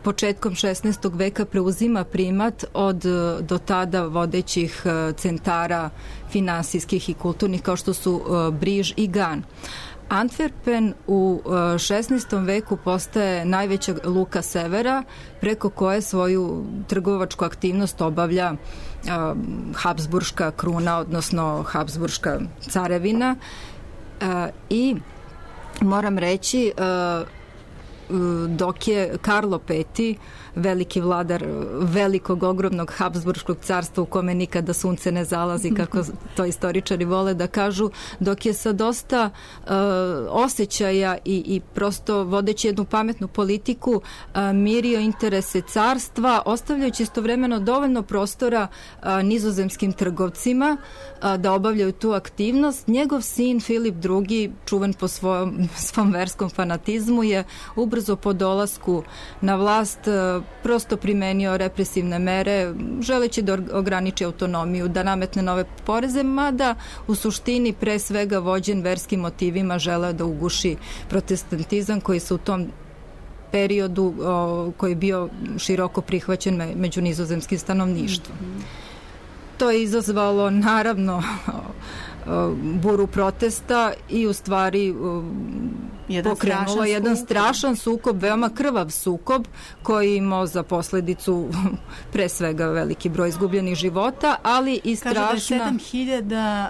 [SPEAKER 2] početkom šesnaestog veka preuzima primat od do tada vodećih uh, centara finansijskih i kulturnih kao što su uh, Briž i Gan. Antwerpen u šesnaestom veku postaje najveća luka severa preko koje svoju trgovačku aktivnost obavlja Habsburška kruna, odnosno Habsburška carevina. I moram reći, dok je Karlo Peti, veliki vladar velikog, ogromnog Habsburškog carstva u kome nikada sunce ne zalazi, kako to istoričari vole da kažu, dok je sa dosta uh, osjećaja i, i prosto vodeći jednu pametnu politiku uh, mirio interese carstva, ostavljajući istovremeno dovoljno prostora uh, nizozemskim trgovcima uh, da obavljaju tu aktivnost. Njegov sin Filip drugi, čuven po svojom, svom verskom fanatizmu, je ubrzo po dolasku na vlast uh, prosto primenio represivne mere, želeći da ograniči autonomiju, da nametne nove poreze, mada u suštini pre svega vođen verskim motivima želeo da uguši protestantizam koji se u tom periodu o, koji je bio široko prihvaćen me, među nizozemskim stanovništvom. To je izazvalo naravno buru protesta i u stvari
[SPEAKER 5] jedan
[SPEAKER 2] pokrenulo
[SPEAKER 5] strašan
[SPEAKER 2] jedan
[SPEAKER 5] sukob.
[SPEAKER 2] strašan sukob, veoma krvav sukob koji je imao za posledicu pre svega veliki broj izgubljenih života, ali i strašna...
[SPEAKER 5] Kažu da je sedam hiljada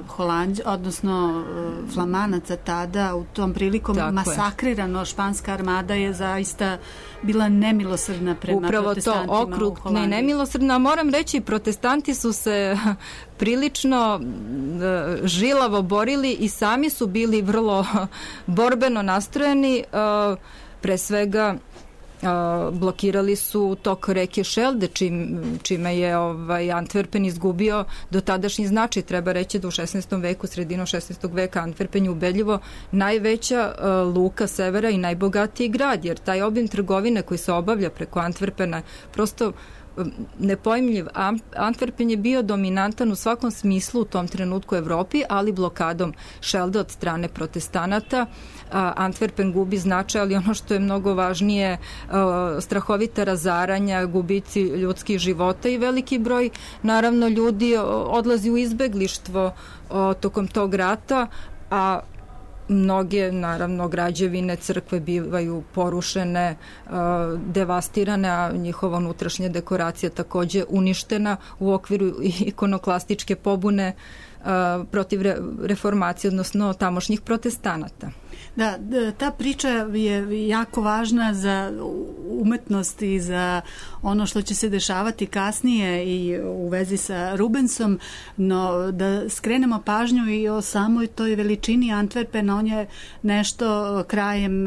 [SPEAKER 5] uh, Holandja, odnosno uh, Flamanaca tada u tom prilikom
[SPEAKER 2] Tako
[SPEAKER 5] masakrirano. Je. Španska armada je zaista bila nemilosrdna prema
[SPEAKER 2] Upravo
[SPEAKER 5] protestantima
[SPEAKER 2] to,
[SPEAKER 5] u
[SPEAKER 2] okrug
[SPEAKER 5] Holandiji.
[SPEAKER 2] ne nemilosrdna, moram reći, protestanti su se prilično uh, žilavo borili i sami su bili vrlo borbeno nastrojeni, uh, pre svega Uh, blokirali su tok reke Šelde, čim, čime je ovaj, Antwerpen izgubio do tadašnji značaj. Treba reći da u šesnaestom veku, sredinom šesnaestog veka, Antwerpen je ubedljivo najveća uh, luka severa i najbogatiji grad, jer taj obim trgovine koji se obavlja preko Antwerpena prosto nepojmljiv. Antwerpen je bio dominantan u svakom smislu u tom trenutku u Evropi, ali blokadom Šelde od strane protestanata Antwerpen gubi značaj, ali ono što je mnogo važnije, strahovita razaranja, gubici ljudskih života i veliki broj naravno ljudi odlazi u izbeglištvo tokom tog rata, a mnoge, naravno, građevine, crkve bivaju porušene, devastirane, a njihova unutrašnja dekoracija takođe uništena u okviru ikonoklastičke pobune protiv reformacije, odnosno tamošnjih protestanata.
[SPEAKER 5] Da, ta priča je jako važna za umetnost i za ono što će se dešavati kasnije i u vezi sa Rubensom, no da skrenemo pažnju i o samoj toj veličini Antwerpena. On je nešto krajem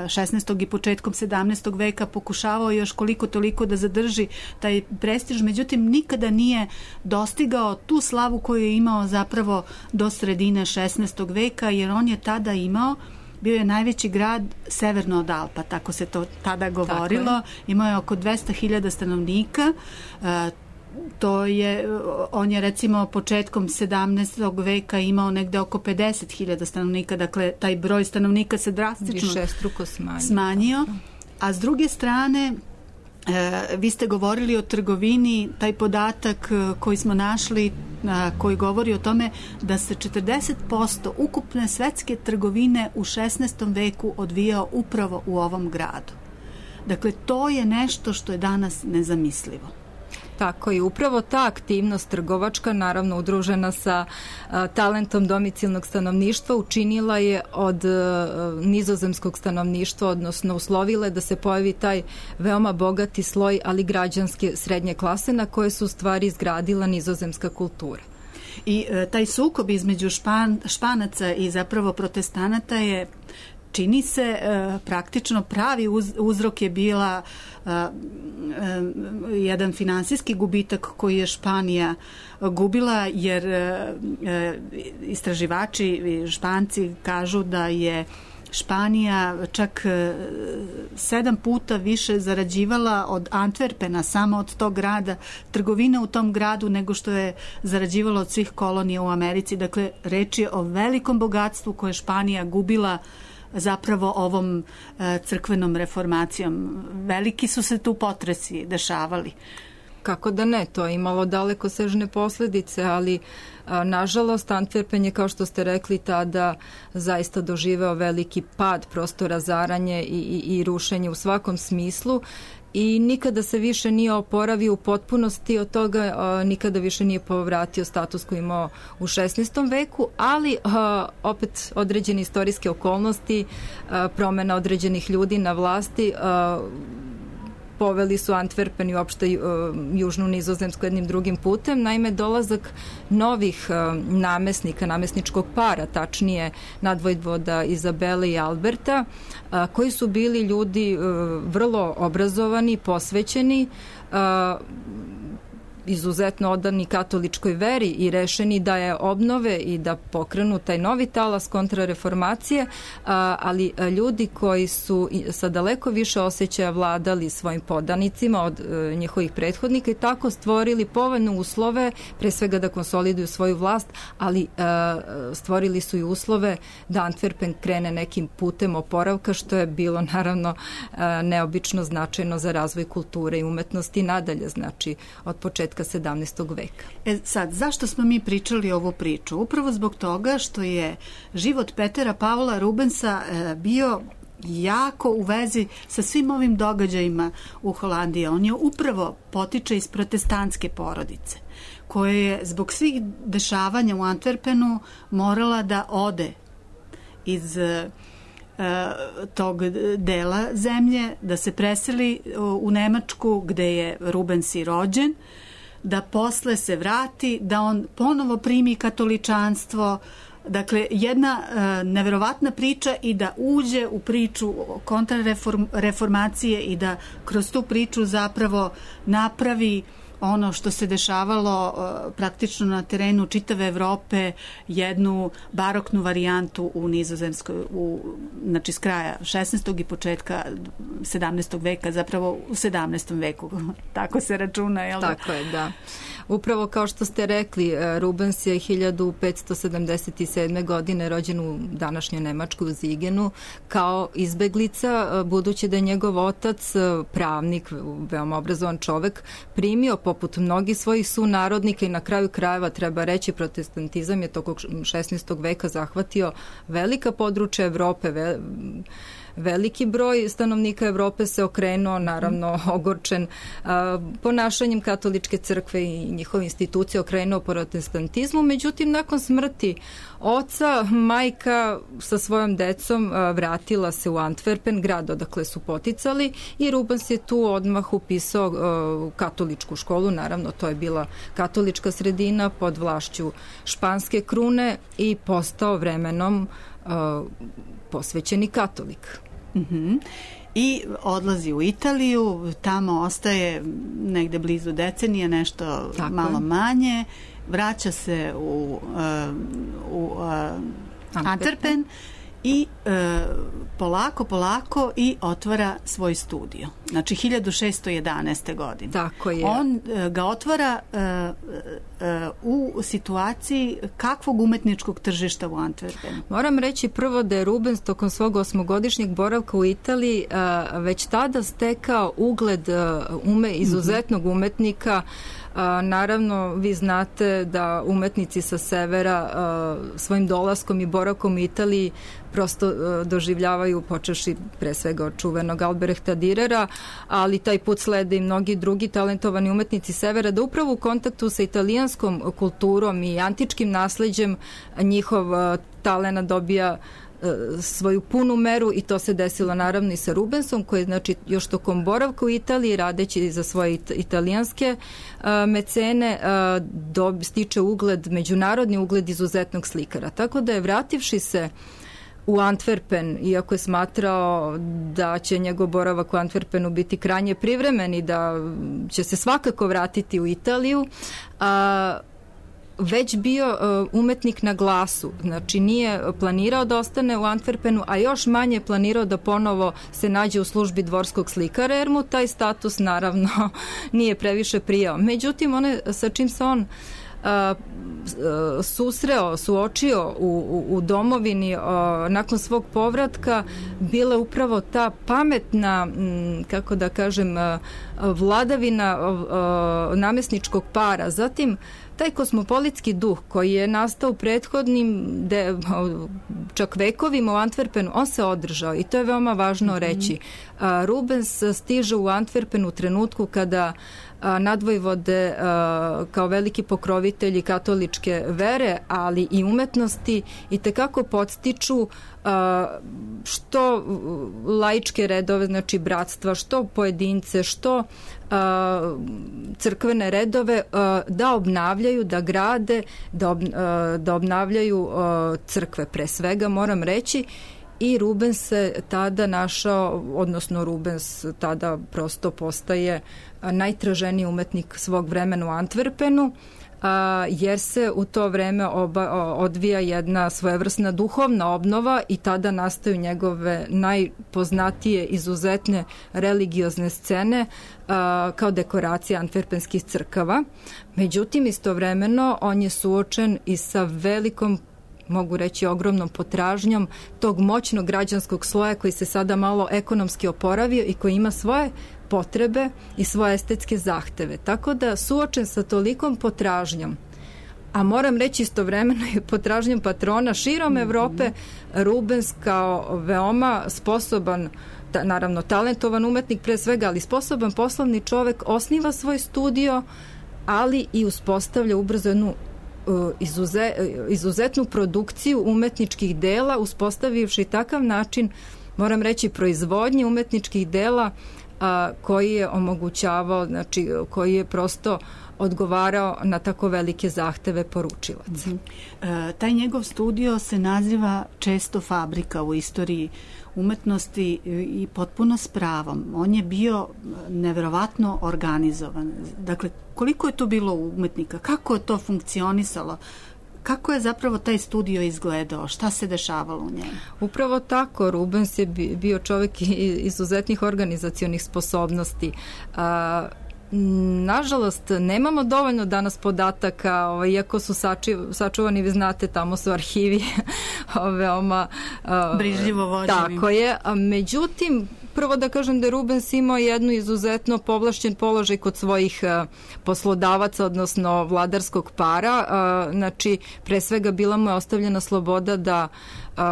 [SPEAKER 5] šesnaestog i početkom sedamnaestog veka pokušavao još koliko toliko da zadrži taj prestiž, međutim nikada nije dostigao tu slavu koju je imao zapravo do sredine šesnaestog veka, jer on je tada imao, bio je najveći grad severno od Alpa, tako se to tada govorilo, imao je oko dvesta hiljada stanovnika. To je, on je recimo početkom sedamnaestog veka imao negde oko pedeset hiljada stanovnika, dakle taj broj stanovnika se drastično
[SPEAKER 2] višestruko smanjio.
[SPEAKER 5] smanjio. A s druge strane, e, vi ste govorili o trgovini, taj podatak koji smo našli, a, koji govori o tome da se četrdeset posto ukupne svetske trgovine u šesnaestom veku odvijao upravo u ovom gradu. Dakle, to je nešto što je danas nezamislivo.
[SPEAKER 2] Tako i upravo ta aktivnost trgovačka, naravno udružena sa a, talentom domicilnog stanovništva, učinila je od a, nizozemskog stanovništva, odnosno uslovile da se pojavi taj veoma bogati sloj, ali građanske srednje klase na koje su u stvari izgradila nizozemska kultura.
[SPEAKER 5] I e, taj sukob između špan, Španaca i zapravo protestanata je, čini se, e, praktično pravi uz, uzrok je bila e, e, jedan finansijski gubitak koji je Španija gubila, jer e, istraživači Španci kažu da je Španija čak sedam puta više zarađivala od Antwerpena, samo od tog grada, trgovina u tom gradu, nego što je zarađivala od svih kolonija u Americi. Dakle, reč je o velikom bogatstvu koje je Španija gubila zapravo ovom e, crkvenom reformacijom. Veliki su se tu potresi dešavali.
[SPEAKER 2] Kako da ne, to je imalo dalekosežne posledice, ali a, nažalost Antwerpen je, kao što ste rekli, tada zaista doživeo veliki pad, prosto razaranje i, i, i rušenje u svakom smislu i nikada se više nije oporavio u potpunosti od toga, a, nikada više nije povratio status koji imao u šesnaestom veku, ali a, opet određene istorijske okolnosti, a, promena određenih ljudi na vlasti, a, poveli su Antwerpen i uopšte uh, južnu Nizozemsku jednim drugim putem. Naime, dolazak novih uh, namesnika, namesničkog para, tačnije nadvojvoda Izabele i Alberta, uh, koji su bili ljudi uh, vrlo obrazovani, posvećeni, uh, izuzetno odani katoličkoj veri i rešeni da je obnove i da pokrenu taj novi talas kontrareformacije, ali ljudi koji su sa daleko više osjećaja vladali svojim podanicima od njihovih prethodnika i tako stvorili povoljne uslove, pre svega da konsoliduju svoju vlast, ali stvorili su i uslove da Antwerpen krene nekim putem oporavka, što je bilo naravno neobično značajno za razvoj kulture i umetnosti nadalje. Znači, od početka početka sedamnaestog veka.
[SPEAKER 5] E sad, zašto smo mi pričali ovu priču? Upravo zbog toga što je život Petera Paula Rubensa e, bio jako u vezi sa svim ovim događajima u Holandiji. On je upravo potiče iz protestantske porodice, koja je zbog svih dešavanja u Antwerpenu morala da ode iz e, tog dela zemlje, da se preseli u Nemačku gde je Rubens i rođen, da posle se vrati, da on ponovo primi katoličanstvo. Dakle, jedna e, neverovatna priča i da uđe u priču kontrareformacije i da kroz tu priču zapravo napravi ono što se dešavalo uh, praktično na terenu čitave Evrope, jednu baroknu varijantu u Nizozemskoj, u, znači s kraja šesnaestog i početka sedamnaestog veka, zapravo u sedamnaestom veku, tako se računa, jel da?
[SPEAKER 2] Tako je, da. Upravo kao što ste rekli, Rubens je hiljadu petsto sedamdeset sedme. godine rođen u današnjoj Nemačkoj u Zigenu kao izbeglica, budući da je njegov otac, pravnik, veoma obrazovan čovek, primio poput mnogih svojih sunarodnika i na kraju krajeva treba reći protestantizam je tokom šesnaestog veka zahvatio velika područja Evrope, ve, veliki broj stanovnika Evrope se okrenuo, naravno ogorčen a, ponašanjem katoličke crkve i njihove institucije, okrenuo protestantizmu. Međutim, nakon smrti oca, majka sa svojom decom a, vratila se u Antwerpen, grad odakle su poticali, i Rubens je tu odmah upisao a, katoličku školu. Naravno, to je bila katolička sredina pod vlašću španske krune i postao vremenom a, posvećeni katolik.
[SPEAKER 5] Uh-huh. I odlazi u Italiju, tamo ostaje negde blizu decenije, nešto tako malo je. Manje, vraća se u, uh, u uh, Antwerpen i uh, polako, polako i otvara svoj studio. Znači, hiljadu šesto jedanaeste. godine.
[SPEAKER 2] Tako je.
[SPEAKER 5] On uh, ga otvara uh, uh, u situaciji kakvog umetničkog tržišta u Antwerpenu?
[SPEAKER 2] Moram reći prvo da je Rubens tokom svog osmogodišnjeg boravka u Italiji uh, već tada stekao ugled uh, ume, izuzetnog umetnika. A, naravno, vi znate da umetnici sa severa a, svojim dolaskom i boravkom u Italiji prosto a, doživljavaju, počeši pre svega od čuvenog Albrehta Dürera, ali taj put slede i mnogi drugi talentovani umetnici severa, da upravo u kontaktu sa italijanskom kulturom i antičkim nasleđem njihov a, talent dobija svoju punu meru, i to se desilo naravno i sa Rubensom, koji je, znači, još tokom boravka u Italiji, radeći za svoje it- italijanske uh, mecene, uh, do, stiče ugled, međunarodni ugled izuzetnog slikara. Tako da je, vrativši se u Antwerpen, iako je smatrao da će njegov boravak u Antwerpenu biti krajnje privremen i da će se svakako vratiti u Italiju, a uh, već bio uh, umetnik na glasu, znači nije planirao da ostane u Antwerpenu, a još manje planirao da ponovo se nađe u službi dvorskog slikara, jer mu taj status naravno nije previše prijao. Međutim, one sa čim se on uh, uh, susreo, suočio u, u, u domovini uh, nakon svog povratka, bila upravo ta pametna, m, kako da kažem, uh, vladavina uh, namesničkog para. Zatim, taj kosmopolitski duh koji je nastao u prethodnim de, čak vekovima u Antwerpenu, on se održao i to je veoma važno reći. A, Rubens stiže u Antwerpen u trenutku kada a, nadvojvode a, kao veliki pokrovitelji katoličke vere, ali i umetnosti, i tekako podstiču a, što laičke redove, znači bratstva, što pojedince, što a, crkvene redove, a, da obnavljaju, da grade, da, ob, a, da obnavljaju a, crkve pre svega, moram reći. I Rubens se tada našao, odnosno Rubens tada prosto postaje najtraženiji umetnik svog vremena u Antwerpenu, a, jer se u to vreme oba, odvija jedna svojevrsna duhovna obnova i tada nastaju njegove najpoznatije izuzetne religiozne scene a, kao dekoracija antverpenskih crkava. Međutim, istovremeno on je suočen i sa velikom, mogu reći ogromnom potražnjom tog moćnog građanskog sloja koji se sada malo ekonomski oporavio i koji ima svoje potrebe i svoje estetske zahteve. Tako da suočen sa tolikom potražnjom, a moram reći istovremeno i potražnjom patrona širom Evrope, Rubens kao veoma sposoban, ta, naravno talentovan umetnik pre svega, ali sposoban poslovni čovek, osniva svoj studio, ali i uspostavlja ubrzo jednu izuze, izuzetnu produkciju umetničkih dela, uspostavivši takav način, moram reći, proizvodnje umetničkih dela a, koji je omogućavao, znači koji je prosto odgovarao na tako velike zahteve poručilaca.
[SPEAKER 5] Mm-hmm. E, taj njegov studio se naziva često fabrika u istoriji umetnosti i potpuno s pravom. On je bio neverovatno organizovan. Dakle, koliko je to bilo umetnika? Kako je to funkcionisalo? Kako je zapravo taj studio izgledao? Šta se dešavalo u njemu?
[SPEAKER 2] Upravo tako. Rubens je bio čovjek izuzetnih organizacionih sposobnosti. A, nažalost, nemamo dovoljno danas podataka, o, iako su sači, sačuvani, vi znate, tamo su arhivi veoma o,
[SPEAKER 5] brižljivo vođeni.
[SPEAKER 2] Tako je. A, međutim, prvo da kažem da je Rubens imao jednu izuzetno povlašćen položaj kod svojih uh, poslodavaca, odnosno vladarskog para. Uh, znači, pre svega bila mu je ostavljena sloboda da uh,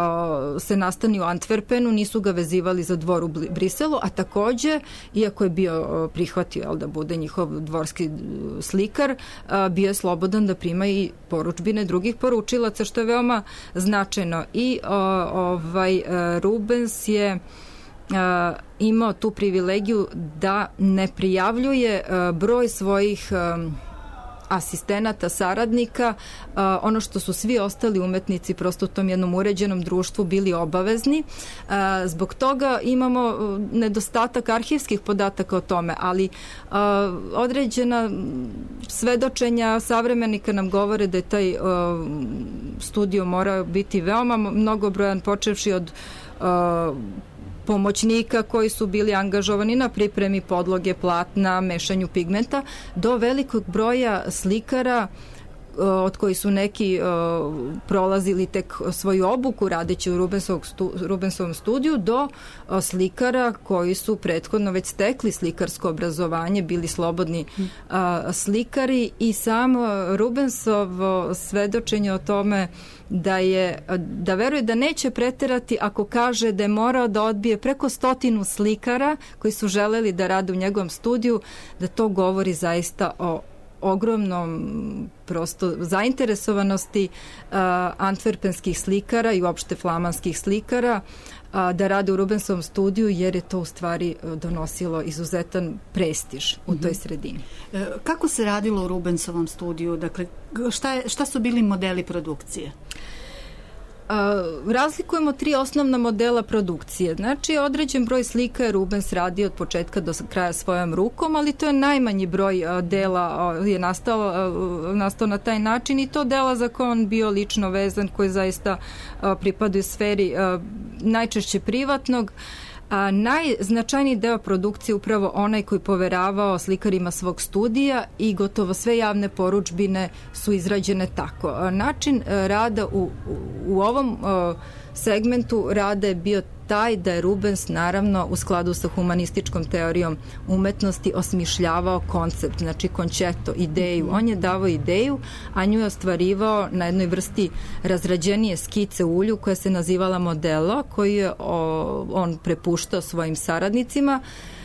[SPEAKER 2] se nastani u Antwerpenu, nisu ga vezivali za dvor u Briselu, a takođe, iako je bio uh, prihvatio jel, da bude njihov dvorski uh, slikar, uh, bio je slobodan da prima i poručbine drugih poručilaca, što je veoma značajno. I uh, ovaj uh, Rubens je Uh, imao tu privilegiju da ne prijavljuje uh, broj svojih um, asistenata, saradnika, uh, ono što su svi ostali umetnici prosto u tom jednom uređenom društvu bili obavezni. Uh, zbog toga imamo uh, nedostatak arhivskih podataka o tome, ali uh, određena svedočenja savremenika nam govore da je taj uh, studio morao biti veoma mnogobrojan, počevši od uh, pomoćnika koji su bili angažovani na pripremi podloge, platna, mešanju pigmenta, do velikog broja slikara od koji su neki uh, prolazili tek svoju obuku radeći u stu, Rubensovom studiju, do uh, slikara koji su prethodno već stekli slikarsko obrazovanje, bili slobodni uh, slikari, i sam uh, Rubensovo svedočenje o tome da je, da veruje da neće preterati ako kaže da je morao da odbije preko stotinu slikara koji su želeli da rade u njegovom studiju, da to govori zaista o ogromnom prosto zainteresovanosti uh, antverpenskih slikara i uopšte flamanskih slikara uh, da rade u Rubensovom studiju, jer je to u stvari donosilo izuzetan prestiž u toj sredini.
[SPEAKER 5] E, kako se radilo u Rubensovom studiju? Dakle, šta, je, šta su bili modeli produkcije?
[SPEAKER 2] Uh, razlikujemo tri osnovna modela produkcije. Znači, određen broj slika je Rubens radio od početka do kraja svojom rukom, ali to je najmanji broj uh, dela uh, je nastao, uh, nastao na taj način, i to dela za koje on bio lično vezan, koji zaista uh, pripadaju sferi uh, najčešće privatnog. A najznačajniji deo produkcije upravo onaj koji poveravao slikarima svog studija, i gotovo sve javne poručbine su izrađene tako. Način rada u, u, u ovom o, segmentu rada je bio taj da je Rubens, naravno u skladu sa humanističkom teorijom umetnosti, osmišljavao koncept, znači končeto, ideju. On je davao ideju, a nju je ostvarivao na jednoj vrsti razrađenije skice u ulju koja se nazivala modelo, koju je o, on prepuštao svojim saradnicima,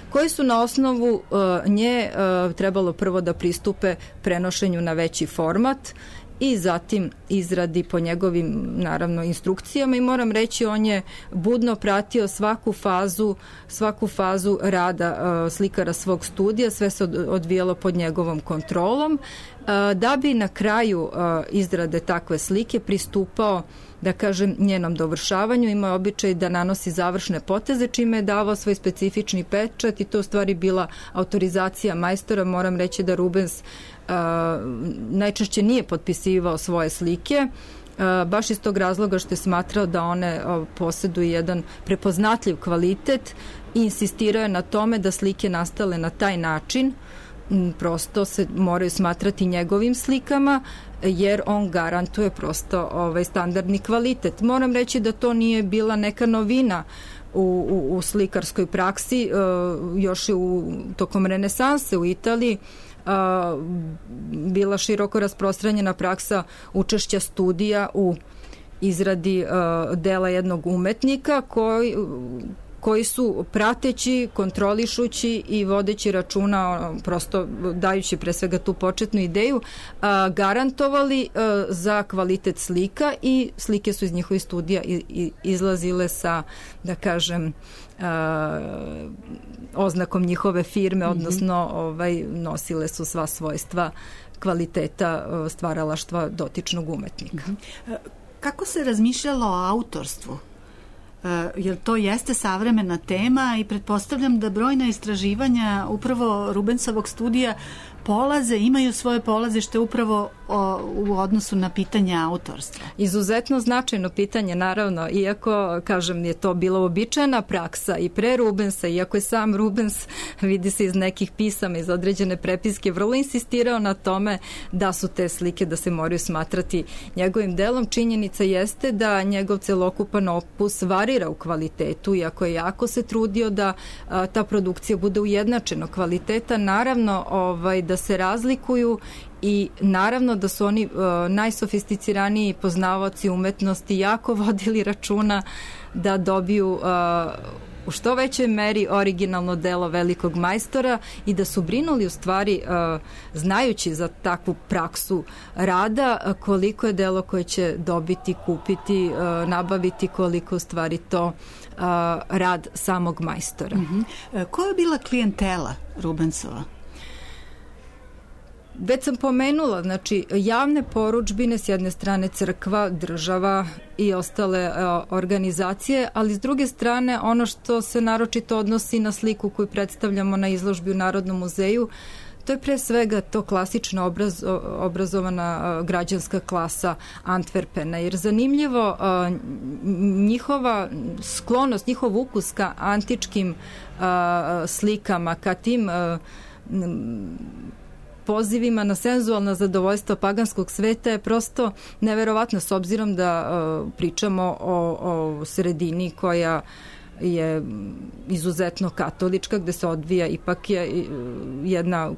[SPEAKER 2] koji su na osnovu uh, nje uh, trebalo prvo da pristupe prenošenju na veći format i zatim izradi po njegovim, naravno, instrukcijama, i moram reći, on je budno pratio svaku fazu svaku fazu rada uh, slikara svog studija, sve se od, odvijalo pod njegovom kontrolom, uh, da bi na kraju uh, izrade takve slike pristupao, da kažem, njenom dovršavanju. Ima običaj da nanosi završne poteze, čime je davao svoj specifični pečat, i to u stvari bila autorizacija majstora. Moram reći da Rubens uh, najčešće nije potpisivao svoje slike, uh, baš iz tog razloga što je smatrao da one uh, posjeduju jedan prepoznatljiv kvalitet, i insistirao je na tome da slike nastale na taj način prosto se moraju smatrati njegovim slikama, jer on garantuje prosto ovaj standardni kvalitet. Moram reći da to nije bila neka novina u, u, u slikarskoj praksi, još i u, tokom renesanse u Italiji, bila široko rasprostranjena praksa učešća studija u izradi dela jednog umetnika koji koji su prateći, kontrolišući i vodeći računa, prosto dajući pre svega tu početnu ideju, garantovali za kvalitet slika i slike su iz njihovih studija izlazile sa, da kažem, oznakom njihove firme, odnosno ovaj, nosile su sva svojstva kvaliteta stvaralaštva dotičnog umetnika.
[SPEAKER 5] Kako se razmišljalo o autorstvu? Jer to jeste savremena tema i pretpostavljam da brojna istraživanja upravo Rubensovog studija polaze, imaju svoje polazište upravo o, u odnosu na pitanje autorstva.
[SPEAKER 2] Izuzetno značajno pitanje, naravno, iako, kažem, je to bila uobičajena praksa i pre Rubensa, iako je sam Rubens, vidi se iz nekih pisama, iz određene prepiske, vrlo insistirao na tome da su te slike, da se moraju smatrati njegovim delom. Činjenica jeste da njegov celokupan opus varira u kvalitetu, iako je jako se trudio da a, ta produkcija bude ujednačeno kvaliteta, naravno ovaj, da se razlikuju i naravno da su oni uh, najsofisticiraniji poznavaoci umetnosti jako vodili računa da dobiju uh, u što većoj meri originalno delo velikog majstora i da su brinuli u stvari, uh, znajući za takvu praksu rada, uh, koliko je delo koje će dobiti, kupiti, uh, nabaviti, koliko u stvari to uh, rad samog majstora.
[SPEAKER 5] Mm-hmm. Koja je bila klijentela Rubensova?
[SPEAKER 2] Već sam pomenula, znači javne poručbine, s jedne strane crkva, država i ostale uh, organizacije, ali s druge strane ono što se naročito odnosi na sliku koju predstavljamo na izložbi u Narodnom muzeju, to je pre svega to klasično obraz, obrazovana uh, građanska klasa Antwerpena, jer zanimljivo uh, njihova sklonost, njihov ukus ka antičkim uh, slikama, ka tim uh, pozivima na senzualna zadovoljstva paganskog sveta je prosto neverovatno, s obzirom da uh, pričamo o, o sredini koja je izuzetno katolička, gde se odvija ipak je jedna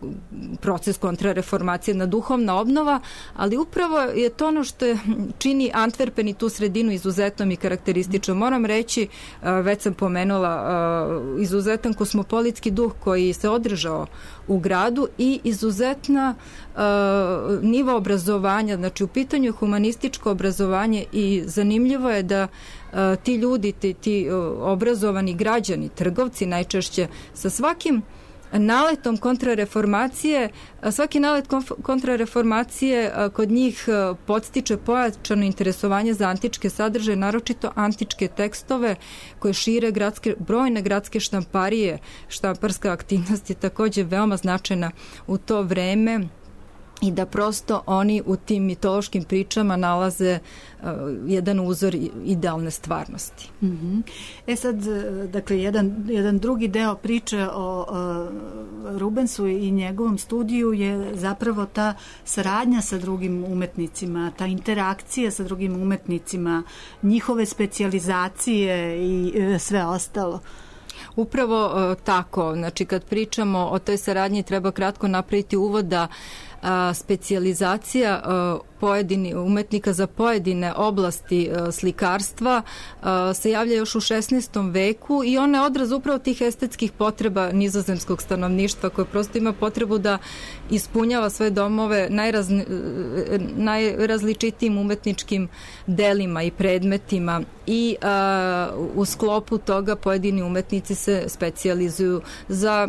[SPEAKER 2] proces kontrareformacije, jedna duhovna obnova, ali upravo je to ono što je, čini Antwerpen i tu sredinu izuzetnom i karakteristično. Moram reći, već sam pomenula, izuzetan kosmopolitski duh koji se održao u gradu i izuzetna uh, nivo obrazovanja, znači u pitanju je humanističko obrazovanje i zanimljivo je da uh, ti ljudi, ti, ti uh, obrazovani građani, trgovci najčešće, sa svakim naletom kontrareformacije, svaki nalet kontrareformacije kod njih podstiče pojačano interesovanje za antičke sadržaje, naročito antičke tekstove koje šire gradske, brojne gradske štamparije. Štamparska aktivnost je takođe veoma značajna u to vreme i da prosto oni u tim mitološkim pričama nalaze uh, jedan uzor idealne stvarnosti.
[SPEAKER 5] Mm-hmm. E sad, dakle, jedan, jedan drugi deo priče o uh, Rubensu i njegovom studiju je zapravo ta saradnja sa drugim umetnicima, ta interakcija sa drugim umetnicima, njihove specijalizacije i uh, sve ostalo.
[SPEAKER 2] Upravo uh, tako, znači kad pričamo o toj saradnji treba kratko napraviti uvod da a, specijalizacija a, pojedini umetnika za pojedine oblasti a, slikarstva a, se javlja još u šesnaestom veku i ona je odraz upravo tih estetskih potreba nizozemskog stanovništva koje prosto ima potrebu da ispunjava svoje domove najrazni, najrazličitijim umetničkim delima i predmetima i a, u sklopu toga pojedini umetnici se specijalizuju za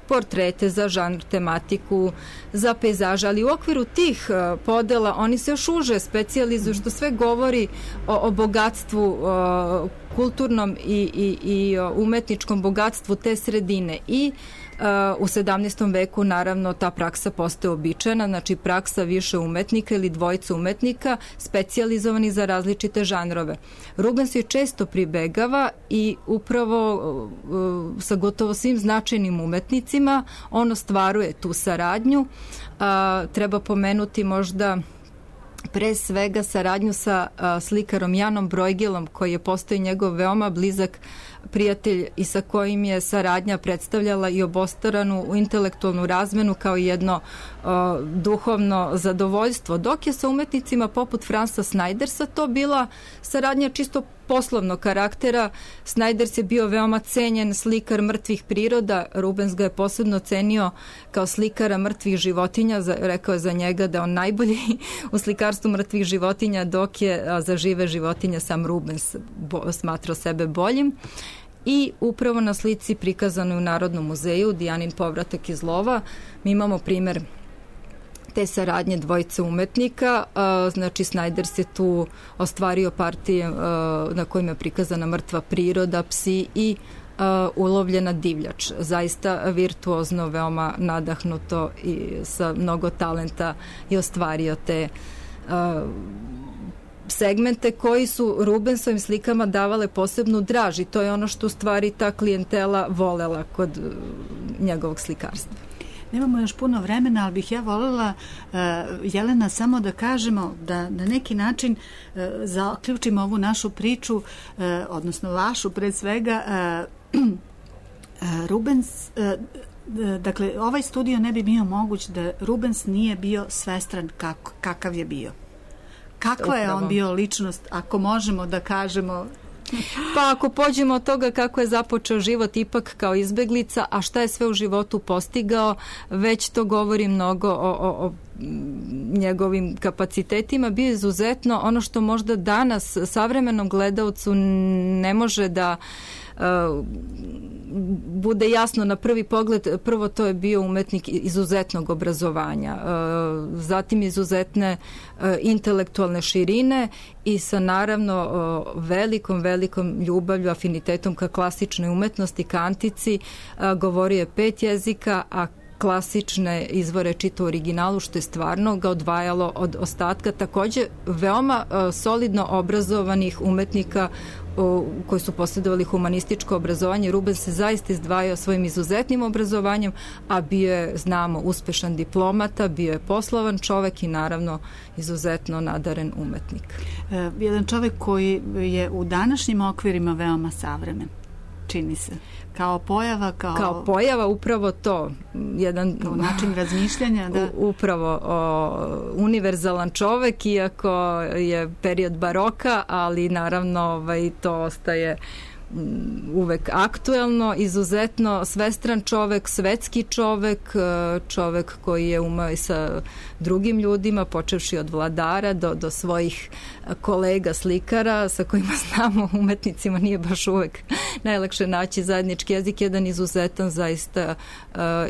[SPEAKER 2] portrete, za žanr, tematiku, za pejzaže, ali u okviru tih uh, podela oni se još uže specijalizuju, što sve govori o, o bogatstvu, uh, kulturnom i, i, i umetničkom bogatstvu te sredine. I Uh, u sedamnaestom veku naravno ta praksa postaje običajna, znači praksa više umetnika ili dvojica umetnika specijalizovani za različite žanrove. Rubens je često pribegava i upravo uh, sa gotovo svim značajnim umetnicima on ostvaruje tu saradnju. Uh, treba pomenuti možda pre svega saradnju sa a, slikarom Janom Brojgilom, koji je postao njegov veoma blizak prijatelj i sa kojim je saradnja predstavljala i obostranu intelektualnu razmenu kao jedno a, duhovno zadovoljstvo, dok je sa umetnicima poput Fransa Snajdersa to bila saradnja čisto poslovnog karaktera. Snajders je bio veoma cenjen slikar mrtvih priroda, Rubens ga je posebno cenio kao slikara mrtvih životinja, rekao je za njega da on najbolji u slikarstvu mrtvih životinja, dok je za žive životinje sam Rubens smatrao sebe boljim. I upravo na slici prikazanoj u Narodnom muzeju Dijanin povratak iz lova mi imamo primer te saradnje dvojice umetnika. Znači Snajders je tu ostvario partije na kojima je prikazana mrtva priroda, psi i ulovljena divljač. Zaista virtuozno, veoma nadahnuto i sa mnogo talenta je ostvario te segmente koji su Rubensovim slikama davale posebnu draž i to je ono što u stvari ta klijentela volela kod njegovog slikarstva.
[SPEAKER 5] Nemamo još puno vremena, ali bih ja voljela, uh, Jelena, samo da kažemo da na neki način uh, zaključimo ovu našu priču, uh, odnosno vašu pred svega. Uh, uh, Rubens, uh, dakle, ovaj studio ne bi bio moguć da Rubens nije bio svestran kak, kakav je bio. Kakva je on bio ličnost, ako možemo da kažemo?
[SPEAKER 2] Pa ako pođemo od toga kako je započeo život ipak kao izbeglica, a šta je sve u životu postigao, već to govori mnogo o, o, o njegovim kapacitetima. Bio izuzetno ono što možda danas savremenom gledalcu ne može da uh, bude jasno na prvi pogled. Prvo, to je bio umetnik izuzetnog obrazovanja, uh, zatim izuzetne uh, intelektualne širine i sa naravno uh, velikom, velikom ljubavlju, afinitetom ka klasičnoj umetnosti, ka antici. Uh, govorio je pet jezika, a klasične izvore čita u originalu, što je stvarno ga odvajalo od ostatka. Takođe, veoma uh, solidno obrazovanih umetnika uh, koji su posjedovali humanističko obrazovanje. Rubens se zaista izdvajao svojim izuzetnim obrazovanjem, a bio je, znamo, uspešan diplomata, bio je poslovan čovek i naravno izuzetno nadaren umetnik.
[SPEAKER 5] E, jedan čovek koji je u današnjim okvirima veoma savremen, čini se. Kao pojava, kao...
[SPEAKER 2] Kao pojava, upravo to. Jedan
[SPEAKER 5] kao način razmišljanja, da.
[SPEAKER 2] Upravo o, univerzalan čovek, iako je period baroka, ali naravno ovaj, to ostaje uvek aktuelno, izuzetno svestran čovek, svetski čovek, čovek koji je umeo i sa drugim ljudima, počevši od vladara do, do svojih kolega slikara sa kojima znamo, umetnicima nije baš uvek najlakše naći zajednički jezik, jedan izuzetan zaista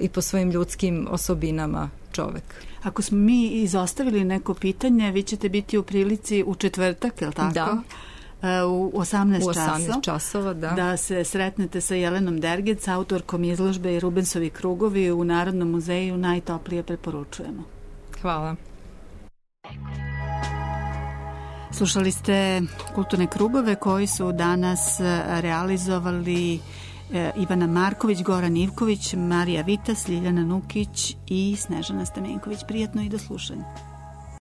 [SPEAKER 2] i po svojim ljudskim osobinama čovek.
[SPEAKER 5] Ako smo mi izostavili neko pitanje, vi ćete biti u prilici u četvrtak, je li tako?
[SPEAKER 2] Da.
[SPEAKER 5] U osamnaest,
[SPEAKER 2] u osamnaest časova, da.
[SPEAKER 5] Da se sretnete sa Jelenom Dergec, autorkom izložbe i Rubensovi krugovi u Narodnom muzeju, najtoplije preporučujemo.
[SPEAKER 2] Hvala.
[SPEAKER 5] Slušali ste kulturne krugove koji su danas realizovali Ivana Marković, Goran Ivković, Marija Vitas, Ljiljana Nukić i Snežana Stamenković. Prijatno i do slušanja.